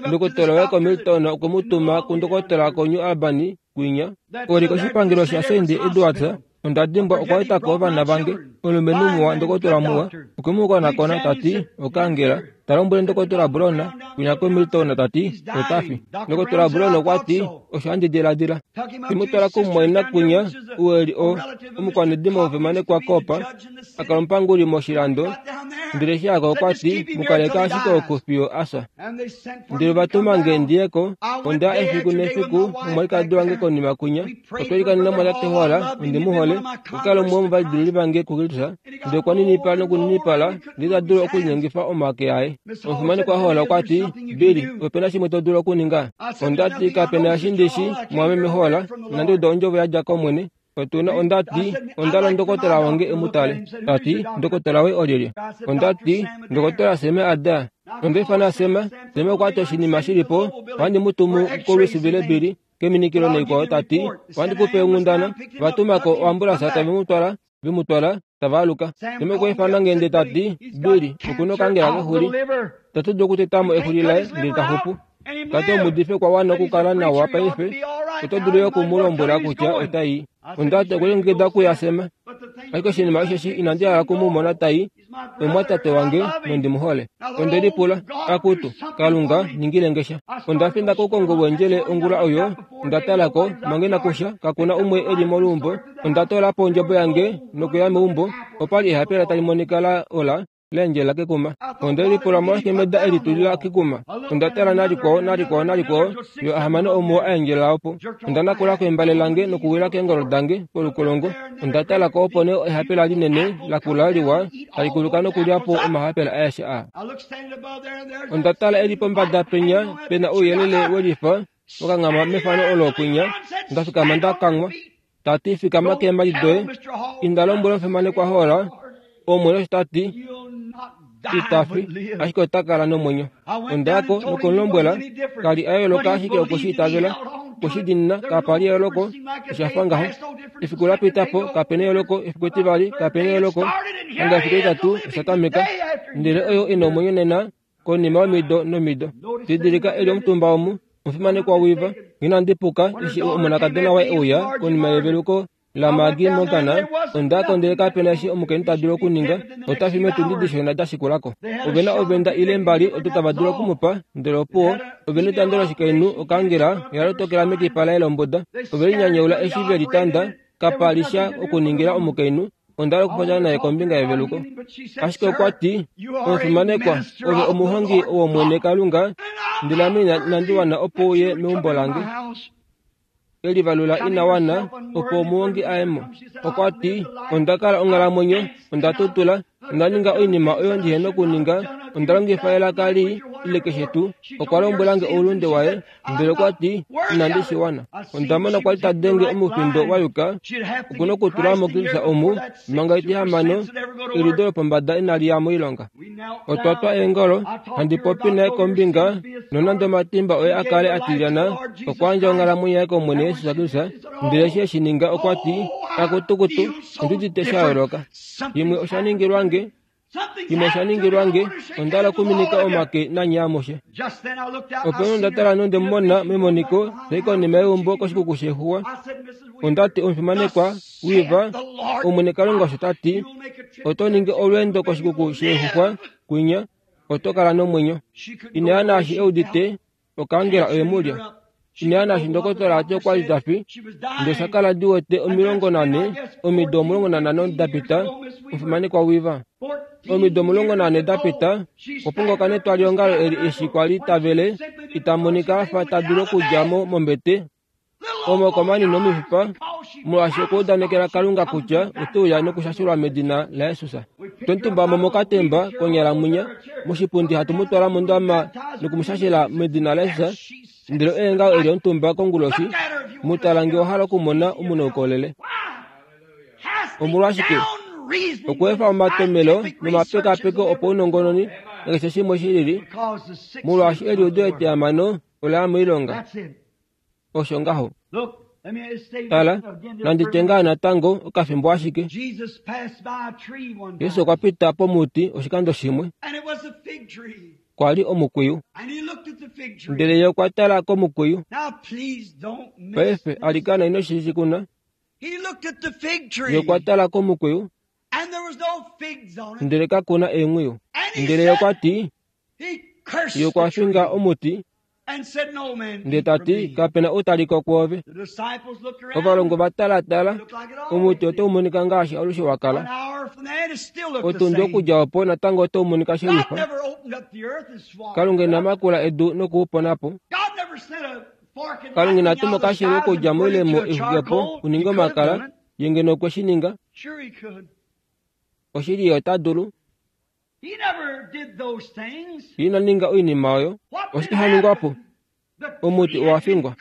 ndokotola waye koMilton okwe mu tuma kundokotola koNew Albany kwinya. Oli koshipangelo shaSaint Edwards, onda dimbwa okwa eta ko ovana vange. Omulumenhu muwa, ndokotola muwa, okwe mu konakona ta ti okangela. Ta lombwele Ndokotola Brown kwinya koMilton tati otafi. Ndokotola Brown okwa ti osho handi diladila. Timutwala kumumwaina kwinya ou eli o omukwanedimo womufimanekwa Kopa akala omupanguli moshilando. Ndele eshi ako okwa ti mukaleka ashike oku fiyo asa. Ndele vatuma nge ndiyeko, onda efiku nefiku nomwalikadi wange konima kwinya. Otwa likanena mwatate Hall, ondi mu hole, okukala umwe womovadilili vange kuKristus. Ndele okwa ninipala nokuninipala ndele ita dulu okulinyengifa omake aye. Omufimanekwa Hall okwa ti, Billy, opena shimwe to dulu okuninga? Onda ti kapena eshi ndishi mwameme Hall, inandi uda ondjovo yadja kOmwene. Otuna onda ti onda ndokotola wange emutale. Tati ndokotola we olyelye? Onda ti ndokotola Seme Ada. Onda ifana Sema. Seme okwa ti oshinima shilipo, ohandi mu tumu koLouisville Billy keminikilo naikwao. Tati ohandi kupe onghundana. Vatumako oambulansa tave mu twala, ve mu twala, tava aluka. Seme okwa ifana nge ndee tati Billy okuna okangela kexuli. Tatu dulu okutetamo exuli laye ndele ta xupu. Tati omudife kwa wana okukala nawa paife. Oto dulu yo oku mu lombwela kutya otai. Onda ti okulongekida okuya Sema. Ashike oshinima osheshi inandi hala oku mu mona tai, omumwatate wange nondi mu hole. Onde lipula, akutu, Kalunga ningile nge sha. Onda finda koukongo wendjele ongula oyo, onda talako, manga inakusha, kakuna umwe eli moluumbo. Onda toola po ondjebo yange nokuya meumbo, opali ehapela tali monika la ola laendjelela kekuma. Onde lipula molwashike meda eli tulila kekuma. Onda tala nalikwao nalikwao nalikwao yo ahamano omuwo aendjelela opo. Onda nakula kembale lange nokuwila keengolo dange polukolongo. Onda talako opo nee ehapela linene lakula liwa tali kuluka nokulya po omahapela aeshe aa. Onda tala eli pombada penya pena ouyelele welifa wakanghama mefano olo kwinya. Onda fikama nda kanghwa. Tati fikama keemhadi doye. Inda lombwela omufimanekwa Hall, Omwene osho tati itafi, ashike ota kala nomwenyo. Ondayako nokumlombwela, kali a yooloka ashike okwe shi itavela, okwe shi diinina, kapa li eyooloko, osha fa ngaho. Efiku la pita po, kapena eyooloko, efiku etivali, kapena eyooloko, hanga efiku etitatu, osha tameka. Ndele oyo ina omwenyo nena, konima yomido nomido. Didilika eli omutumba omu, omufimanekwa Weaver, inandi puka, eshi omonakadona waye euya konima yeveluko la Maggie Morgan, ondako ndele kapena eshi omukainhu ta dulu okuninga, ota fi meetundi dishona da shikulako. Ovena ovenda ile mbali odo tava dulu okumupa, ndele opuwo, ovena etando loshikainhu okangela oya lotokela mekipa laye lombuda. Ove linyanyaula eshi ve litanda, kapa li sha okuningila omukainhu. Onda hala okupopya naye kombinga yeveluko. Ashike okwa ti, omufimanekwa, ove omuhongi wOmwene Kalunga, ndele ame inandi wana opo uye meumbo lange. Elivalula ina wana opo omuhongi aye mo. Okwa ti, onda kala onghalamwenyo, onda tutula, onda ninga oinima oyo ndihena okuninga, onda longifa elaka lii ile keshe tuu. Okwa lombwela nge oulunde waye, ndele okwa ti, inandi shi wana. Onda mona kwali ta denge omufindo wa yuka, okuna okutula mo Kristus omu, manga etihamano, eliudo lopombada inali ya moilonga. Otwa twa eengolo, handi popi naye kombinga, nonande omatimba oye a kale a tilyana, okwa yandja onghalamwenyo yaye kOmwene Jesus Kristus, ndele eshi eshi ninga okwa ti, akutukutu, ondi udite sha yooloka. Yimwe osha ningilwa nge, yimwe osha ningilwa nge, onda hala okuminika omake nanye amushe. Opo nee onda tala nonde mu mona memoniko, tai konima yeumbo koshikuku shexuwa. Onda ti omufimanekwa Weaver, Omwene Kalunga osho ta ti, oto ningi olweendo koshikuku shexuxwa kwinya, oto kala nomwenyo. Ina ya naashi e udite, okangela oye mu lya. Ina ya naashi ndokotola ati okwa li ta fi, ndele osha kala di wete omilongo nane, omido omulongo nanhano da pita, omufimanekwa Weaver. Omido omulongo nane da pita, opo netwaliongalo eli eshi kwa li tavele, ita monika afa ta dulu okudja mo mombete, omaoko manini omifipa, molwaashi okwa udanekela Kalunga kutya ote uya nokushashulwa medina laJesus. Twemutumba mo mokatemba konyala mwinya, moshipundi hatu mu twala mondama nokumushashela medina laJesus, ndele oye ngaho eli omutumba konguloshi, mu tala nge owa hala okumona omunaukolele. Omolwashike? Okweefa omatomelo nomapekapeko opaunongononi nakeshe shimwe shi lili, molwaashi eliudo etihamano ola ya moilonga. Osho ngaho. Tala, nandi tye ngaa natango okafimbo ashike. Jesus okwa pita pomuti oshikando shimwe. Kwa li omukwiyu. Ndele ye okwa tala komukwiyu. Paife alikana ino shi kuna. Ye okwa tala komukwiyu. Ndele kakuna eenghwiyu. Ndele ye okwa ti, Ye okwa finga omuti ndele ta ti kapena outaliko kwoove. Ovalongwa va talatala omuti otau monika ngaashi alushe wa kala. Otundi okudja opo natango otau monika shelifa. Kalunga ina makula edu nokuupona po. Kalunga ina tuma okashelu okudja moilemo ixukepo kuninga omakala, ye ngeno okwe shi ninga. Oshili ye ota dulu. Ye ina ninga oinima oyo. Oshike sha ningwa po? Omuti owa fingwa.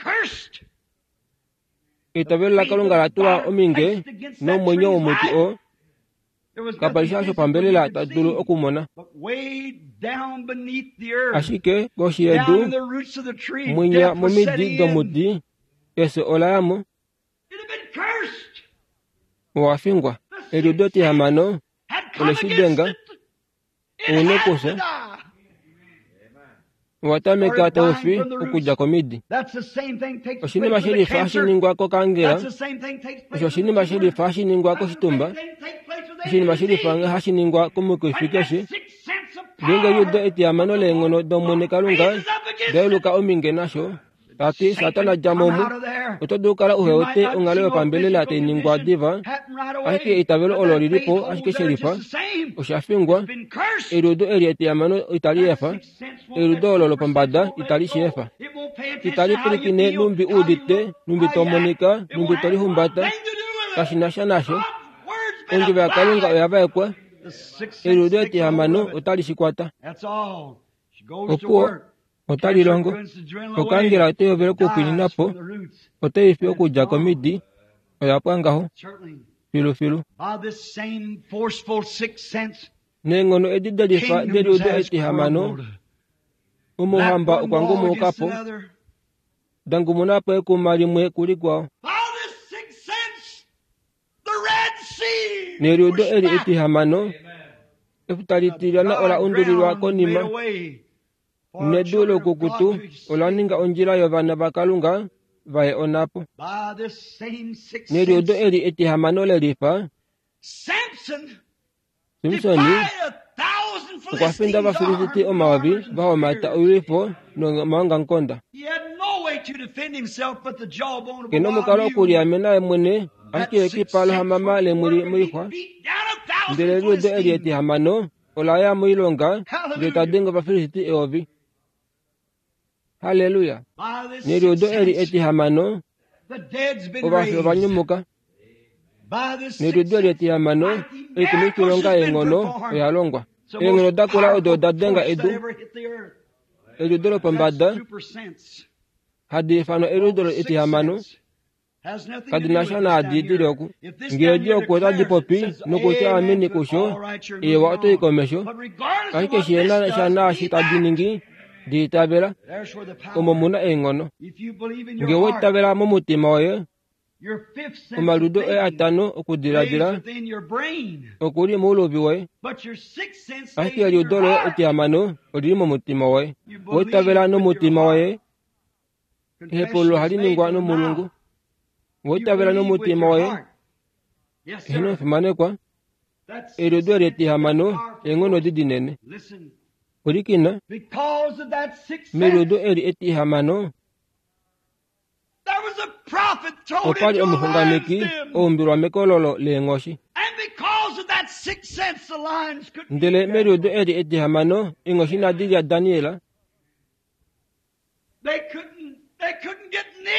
Eitavelo laKalunga la tulwa ominge nomwenyo womuti oo kapa li sha shopambelela ta dulu okumona. Ashike koshi yedu, mwinya momidi domuti, efyo ola ya mo. Owa fingwa. Eliudo etihamano ole shi denga, ouna okufya. Owa tameka tau fi okudja komidi. Oshinima shelifa hashi ningwa kokaangela, osho oshinima shelifa hashi ningwa koshitumba, oshinima shelifa hashi ningwa komukifi keshe. Ngeenge eliudo etihamano leenghono dOmwene Kalunga da yeluka ominge nasho, tati Satana dja mo omu, oto dulu okukala uhe wete onghalo yopambelela tai ningwa diva, ashike eitavelo olo lilipo ashike shelifa, osha fingwa. Eliudo eli etihamano itali efa, eliudo olo lopombada itali shi efa. Itali pwilikine numbi uudite, numbi to monika, numbi to lihumbata, kashi na sha nasho. Ondjovo yaKalunga oya vaekwa, eliudo etihamano otali shi kwata. Opuwo otali longo. Okaangela otai hovele okupwiinina po, otai fi okudja komidi, oya pwa ngaho filufilu. Neenghono edi delifa deliudo etihamano, omauhamba okwa ngumuka po, da ngumuna po ekuma limwe kulikwao. Neliudo eli etihamano, efuta litilyana ola undulilwa konima, nedu loukukutu ola ninga ondjila yovana vaKalunga vaye onhapo. Neliudo eli etihamano lelifa, Simsoni okwa finda Ovafilisti omayovi vahomata oilwifo nomaongamukonda. Kena omukalo okuliamena ye mwene ashike ekipa lohamama lemwili moixwa. Ndele eliudo eli etihamano ola ya moilonga ndele ta denge Ovafilisti eyovi. Halleluya! Neliudo eli etihamano, ovafi ova nyumuka. Neliudo eli etihamano, oikumwifilonga yeenghono oya longwa. Eenghono dakula odo oda denga edu. Eliudo lopombada, hadi ifanwa eliudo etihamano, kadi na sha naadi dili oku. Ngee edi oku otadi popi nokutya ameni kusho, ewa otai komesho, ashike shihena sha naashi tadi ningi, di itavela, omo muna eenghono. Ngee owa itavela momutima woye, omaliudo oye atano okudiladila okuli mouluvi woye, ashike eliudo loye etihamano olili momutima woye. Owa itavela nomutima woye, ehepululo ohali ningwa nomulungu. Owa itavela nomutima woye, eheno omufimanekwa, eliudo eli etihamano eenghono edi dinene. Pwilikina, meliudo eli etihamano, opa li omuxunganeki oumbilwa mekololo leenghoshi. Ndele meliudo eli etihamano, eenghoshi inadi lya Daniel,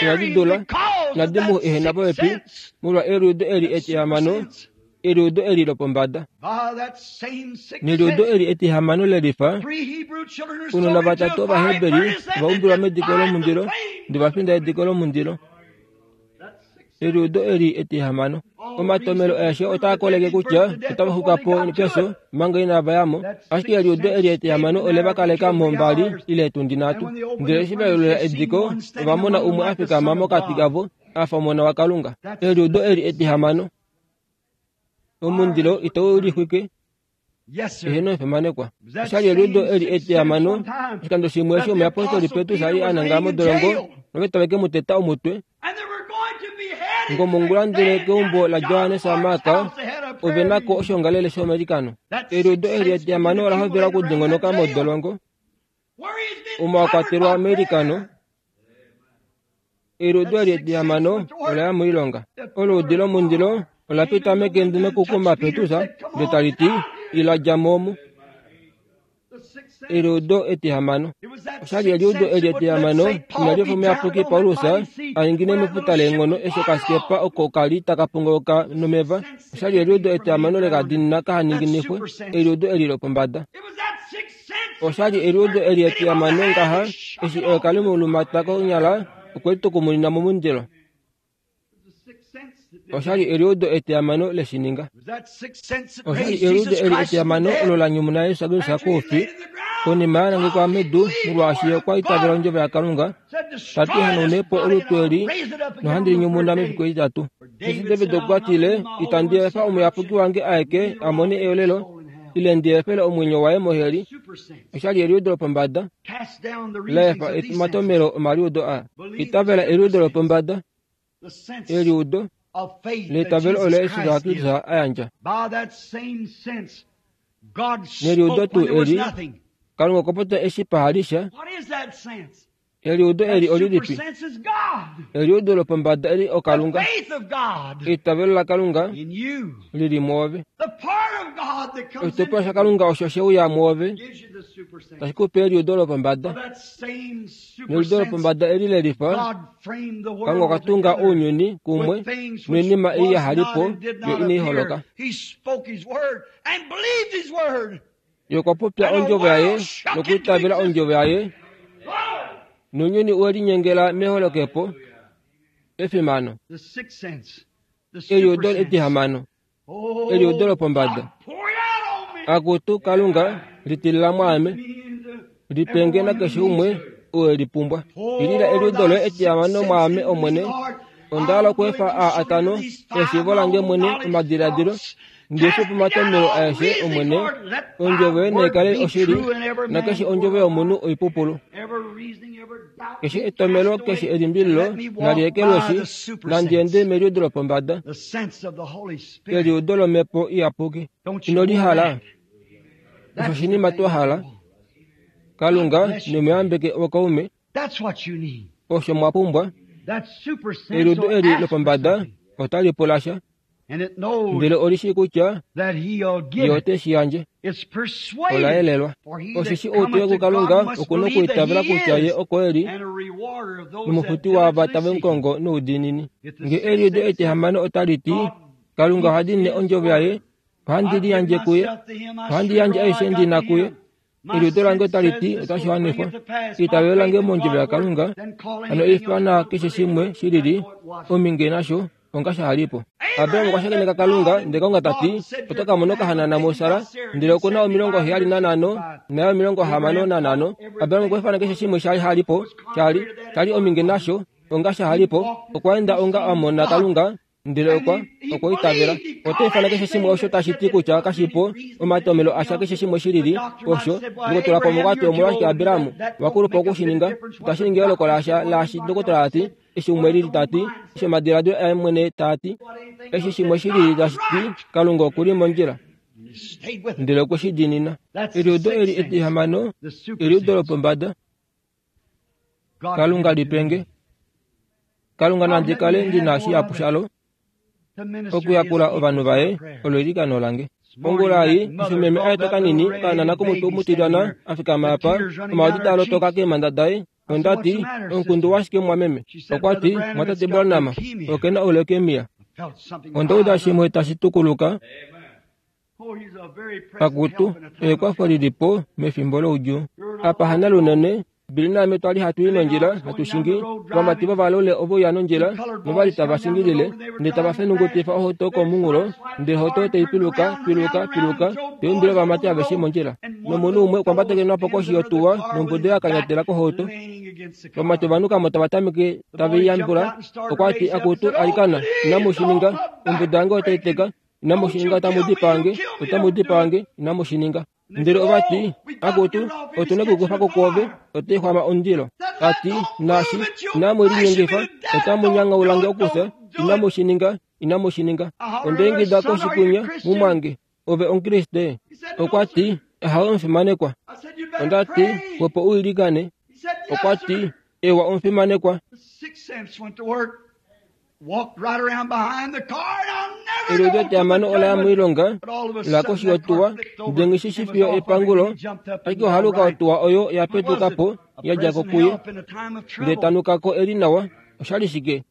inadi dula, inadi mu ehena popepi, molwa eliudo eli etihamano, eliudo eli lopombada. Neliudo eli etihamano lelifa, ounona vatatu Ovaheberi ova umbilwa mediko lomundilo, ndele va finda ediko lomundilo. Eliudo eli etihamano. Omatomelo aeshe otaa koleke kutya otava xuka po pefyo manga inava ya mo, ashike eliudo eli etihamano ole va kaleka mo mbali ile etundi nhatu. Ndele eshi va yelula ediko, ova mona umwe a fikama mokati kavo a fa omona waKalunga. Eliudo eli etihamano. Omundilo itau lixwike, eheno omufimanekwa. Oshali eliudo eli etihamano, oshikando shimwe eshi omuyapostoli Petrus a li a nangala modolongo noveta veke mu teta omutwe. Ngomongula ndele keumbo laJohannes Mark ove nako oshongalele shomailikano. Eliudo eli etihamano ola hovela okudingonoka modolongo. Omo wa kwatelwa meilikano. Eliudo eli etihamano ola ya moilonga. Oluudi lomundilo ola pita mekende nokukuma Petrus ndele tali ti, ila dja mo omu. Eliudo etihamano. Oshali eliudo eli etihamano inali efa omuyapuki Paulus a ningine mefuta leenghono eshi okasikepa oko kali taka pongoloka nomeva. Oshali eliudo etihamano lekadinina kahaninginifwe, eliudo eli lopombada. Oshali eliudo eli etihamano ngaha eshi eyoka lemulumata konyala okwe litukumunina momundilo. Oshali eliudo etihamano leshininga. Oshali eliudo eli etihamano olo la nyumuna Jesus Kristus koufi konima ya nangekwa medu molwaashi okwa itavela ondjovo yaKalunga tati hanaunepo olutu eli nohandi linyumuna mefiku etitatu. Eshi David okwa tile itandi efa omuyapuki wange aeke a mone eolelo ile ndi efele omwenyo waye moheli. Oshali eliudo lopombada la efa omatomelo omaliudo aa. Itavela eliudo lopombada, eliudo leitavelo olo Jesus Kristus a yandja. Neliudo tuu eli Kalunga okwa popya eshi pahali sha. Eliudo eli olilipi? Eliudo lopombada eli oKalunga. Eitavelo laKalunga lili mwoove. Oshitopolwa shaKalunga osho she uya mwoove tashi ku pe eliudo lopombada. Neliudo lopombada eli lelifa Kalunga okwa tunga ounyuni kumwe noinima ei yahalipo yo inai holoka. Ye okwa popya ondjovo yaye nokwiitavela ondjovo yaye nounyuni we linyengela meholokepo efimano. Eliudo etihamano, eliudo lopombada. Akutu Kalunga litilila mwaame, lipenge nakeshe umwe oo e lipumbwa. Tilila eliudo loye etihamano mwaame Omwene. Onda hala okweefa aa atano eshiivo lange mwene omadiladilo ndife pomatomelo aeshe Omwene. Ondjovo yoye naikale oshili nakeshe ondjovo yomunhu oipupulu. Keshe etomelo keshe elimbililo nali ekelweshi nandi ende meliudo lopombada, eliudo lomhepo iyapuki. Ino lihala? Osho oshinima twa hala. Kalunga nemuyambeke okaume. Osho mwa pumbwa. Eliudo eli lopombada otali pula sha, ndele oli shii kutya ye ote shi yandje. Ola yelelwa. Osheshi ou te uya kuKalunga oku na okwiitavela kutya ye oko e li nomufuti waava tave mu kongo noudiinini. Ngee eliudo etihamano otali ti Kalunga oha diinine ondjovo yaye, ohandi liyandje kuye, ohandi yandje aishe ndi na kuye. Eliudo lange otali ti otashi wanifwa. Eitavelo lange mondjovo yaKalunga hano ifana keshe shimwe shilili ominge nasho onga shahalipo. Abraham okwa shakeneka Kalunga ndele Kalunga tati oto ka mona okahanana muSara ndele okuna omilongo heyali nanhano naye omilongo hamano nanhano. Abraham okwa ifana keshe shimwe shali halipo shali shali ominge nasho onga shahalipo. Okwa enda onga a mona Kalunga ndele okwa okwa itavela. Oto ifana keshe shimwe osho tashi ti kutya kashipo omatomelo asha keshe shimwe shilili osho ndokotola pamwe okwati omolwashike Abraham wakulupa okushininga itashi ningi eyooloko lasha laashi ndokotola ati eshi umwe lili tati eshi omadiladilo aye mwene taati eshi shimwe shilili tashi ti Kalunga okuli mondjila ndele okwe shi diinina. Eliudo eli etihamano, eliudo lopombada. Kalunga lipenge. Kalunga nandi kale ndina shihapu shalo okuyakula ovanhu vaye olo eilikano lange. Ongula ei eshi meme aeta kanini okahanana komutwe mutilyana a fikama apa, omaodi taa lotoka keemhanda daye. Onda ti, omukundu washike mwameme? Okwa ti, mwatate Branham okena oleukemia. Onda uda shimwe tashi tukuluka. Akutu, ekwafo lilipo mefimbo loudjuu. Apa hana lunene, Billy naame twali hatu i nondjila hatu shingi, ovamati vovalule ove uya nondjila novali tava shingilile ndele tava fenungutifa ohauto komunghulo ndele ohauto tai piluka piluka piluka taiumbile ovamati aveshe mondjila. Nomunhu umwe okwa mbatakenwa po koshi yotuwa nombudo ya kanyatela kohauto. Ovamati ovanukamo tava tameke tave i yambula. Okwa ti, akutu alikana, inamu shi ninga, ombudo yange otai teka, inamu shi ninga, otamu dipaange, otamu dipaange, inamu shi ninga. Ndele ova ti, akutu, otuna okukufa ko kwoove, otai xwama omundilo. Ati, naashi, inamu linyengifa, otamu nyangaulange okufya, inamu shi ninga, inamu shi ninga. Onda ingida koshikunya mumwange, ove Omukriste. Okwa ti, ahawe omufimanekwa. Onda ti opo u ilikane. Okwa ti ewa omufimanekwa. Eliudo etihamano ola ya moilonga la koshi yotuwa ndele nghi fiyo epangulo, ashike ohaluka otuwa oyo ya petuka po ya dja ko kuye ndele tanuka ko eli nawa. Oshali shike?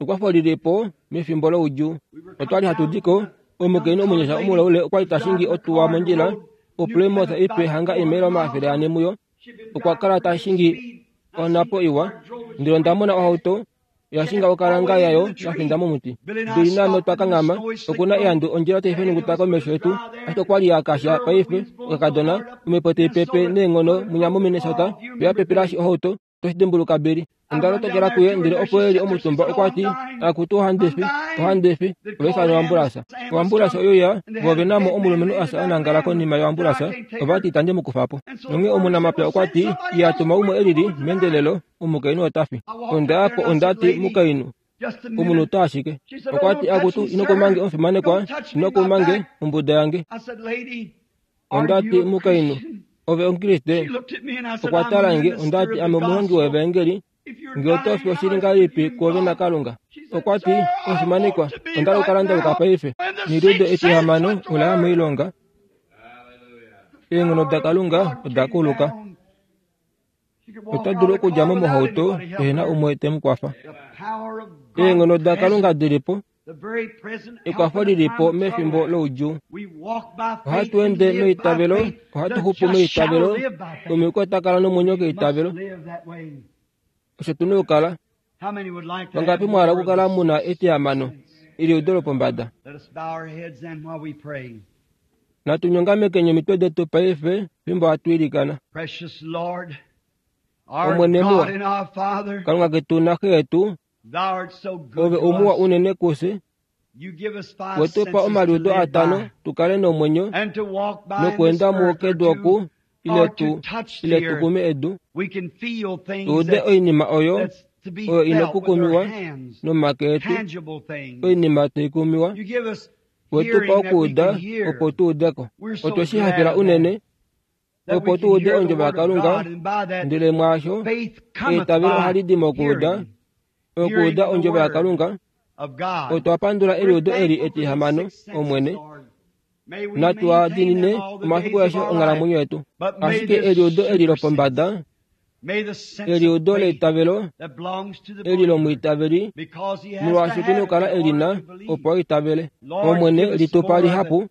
Ekwafo lili po mefimbo loudjuu. Otwali hatu di ko, omukainhu omunyasha omulaule okwali ta shingi otuwa mondjila oPlymouth ipe hanga eemaila omafele ane muyo. Okwa kala ta shingi onhapo iwa, ndele onda mona ohauto yashinga okalanga yayo ya finda momuti. Bili naame otwa kanghama, okuna ehandu ondjila tai fenunguta komesho yetu, ashike okwali ya kasha paife okakadona, omhepo tai pepe neenghono munya moMinnesota, yo ya pepelashi ohauto. Toshi dimbuluka Bili. Onda lotokela kuye ndele opo eli omutumba okwa ti, akutu ohandi fi, ohandi fi, ova ifana oambulasa. Oambulasa oyo ya, vo ove na mo omulumenhu asa a nangala konima yoambulasa, ova ti itandi mu kufa po. Nonghee omunamapya okwa ti, iya tuma umwe elili meendelelo, omukainhu ota fi. Onda ya po onda ti mukainhu, omunhu ta ashike. Okwa ti akutu ino kumange omufimanekwa, ino kumange ombuda yange. Onda ti mukainhu, ove omukriste. Okwa tala nge, onda ti ame omuhongi wevaengeli, nge oto fi oshili ngahelipi kwoove naKalunga. Okwa ti omufimanekwa, onda hala okukala ndaluka paife. Neliudo etihamano ola ya moilonga. Eenghono daKalunga oda kuluka. Ota dulu okudja mo mohauto pehe na umwe te mu kwafa. Eenghono daKalunga dili po, ekwafo lili po mefimbo loudjuu. Ohatu ende meitavelo, ohatu xupu meitavelo, omuyuki ota kala nomwenyo keitavelo. Osho tu na okukala. Vangapi mwa hala okukala mu na etihamano, eliudo lopombada? Natu nyongamekeni omitwe detu paife fimbo hatu ilikana. Omwene muwa, Kalunga ketu naXe yetu, ove omuwa unene kufye. We tu pa omaliudo atano tu kale nomwenyo nokweenda muo kedu oku ile tu ile tu kume edu, tu ude oinima oyo oyo ina okukumiwa nomake etu, oinima tai kumiwa. We tu pa okuuda opo tu ude ko. Otwe shi hafela unene opo tu ude ondjovo yaKalunga, ndele mwaasho eitavelo ohali di mokuuda, okuuda ondjovo yaKalunga. Otwa pandula eliudo eli etihamano, Omwene. Natu a diinine omafiku aeshe onghalamwenyo yetu. Ashike eliudo eli lopombada, eliudo leitavelo, eli lomwiitaveli, molwaashi otu na okukala e li na opo a itavele. Omwene, li tu pa lihapu.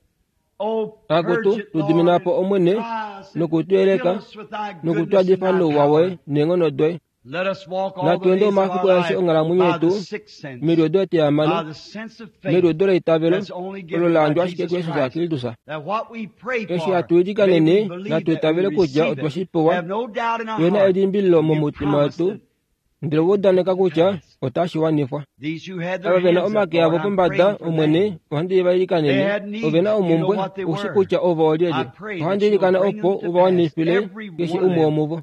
Akutu, tu dimina po Omwene, noku tu yeleka, noku tu yadifa nouwa woye neenghono doye. Natu ende omafiku aeshe onghalamwenyo yetu meliudo etihamano, meliudo leitavelo olo la yandjwa ashike kuJesus Kristus. Eshi hatu ilikanene, natu itavele kutya otwe shi pewa, tuhe na elimbililo momutima wetu, ndele ova udaneka kutya otashi wanifwa. Ava ve na omake avo pombada, Omwene, ohandi va ilikanene. Ove na omumbwe, ushi kutya ovo olyelye. Ohandi ilikana opo u va wanifile keshe umwe womuvo.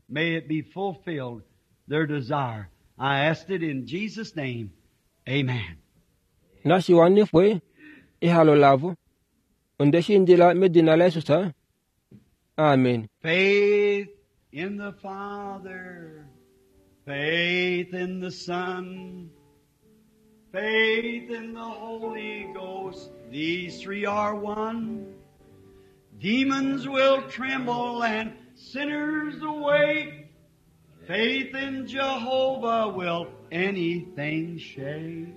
Their desire. I asked it in Jesus' name. Amen. Nashi wanifwe ehalo lavo. Onde shi indila medina laJesus. Amen. Faith in the Father, faith in the Son, faith in the Holy Ghost. These three are one. Demons will tremble and sinners awake. Faith in Jehovah will anything shake.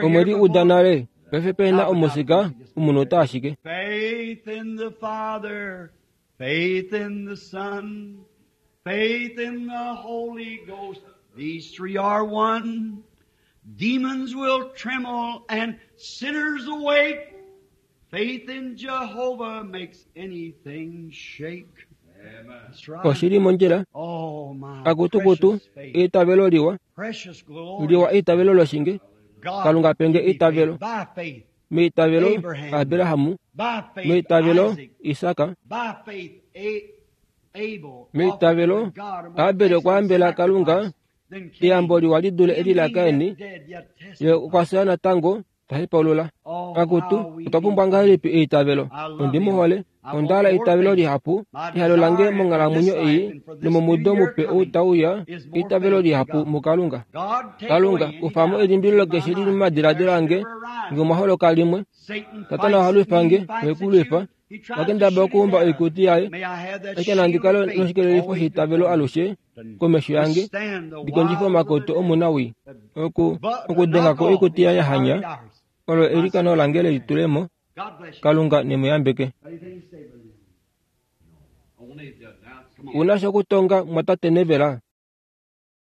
Omwedi uda nale, paife pe na omusika, omunhu ota ashike. Faith in the Father, faith in the Son, faith in the Holy Ghost. These three are one. Demons will tremble and sinners awake. Faith in Jehovah makes anything shake. Oshili mondjila, akutukutu eitavelo liwa, liwa eitavelo loshinge, Kalunga penge eitavelo, meitavelo Abrahamu, meitavelo Isaka, meitavelo Abel okwa ambela Kalunga eyambo liwa li dule eli laKaini, ye okwa fya natango Ta hepaulula. Akutu, otwa pumbwa ngahelipi eitavelo? Ondi mu hole. Onda hala eitavelo lihapu. Ehalo lange monghalamwenyo ei nomomudo mupe ou tau uya, eitavelo lihapu muKalunga. Kalunga, kufa mo elimbililo keshe lili momadiladilo ange nge omwa holoka limwe. Satana oha lwifa nge, ohe ku lwifa. Oha kendabala okuumba oikuti yaye. Ashike nandi kale noshikelelifo sheitavelo alushe komesho yange, ndi kondjife omakoto omunawii. Oku, okudenga ko oikuti yaye hanya, olo eilikano lange lelitulemo. Kalunga ne mu yambeke. Ouna sha okutonga, mumwatate Neville?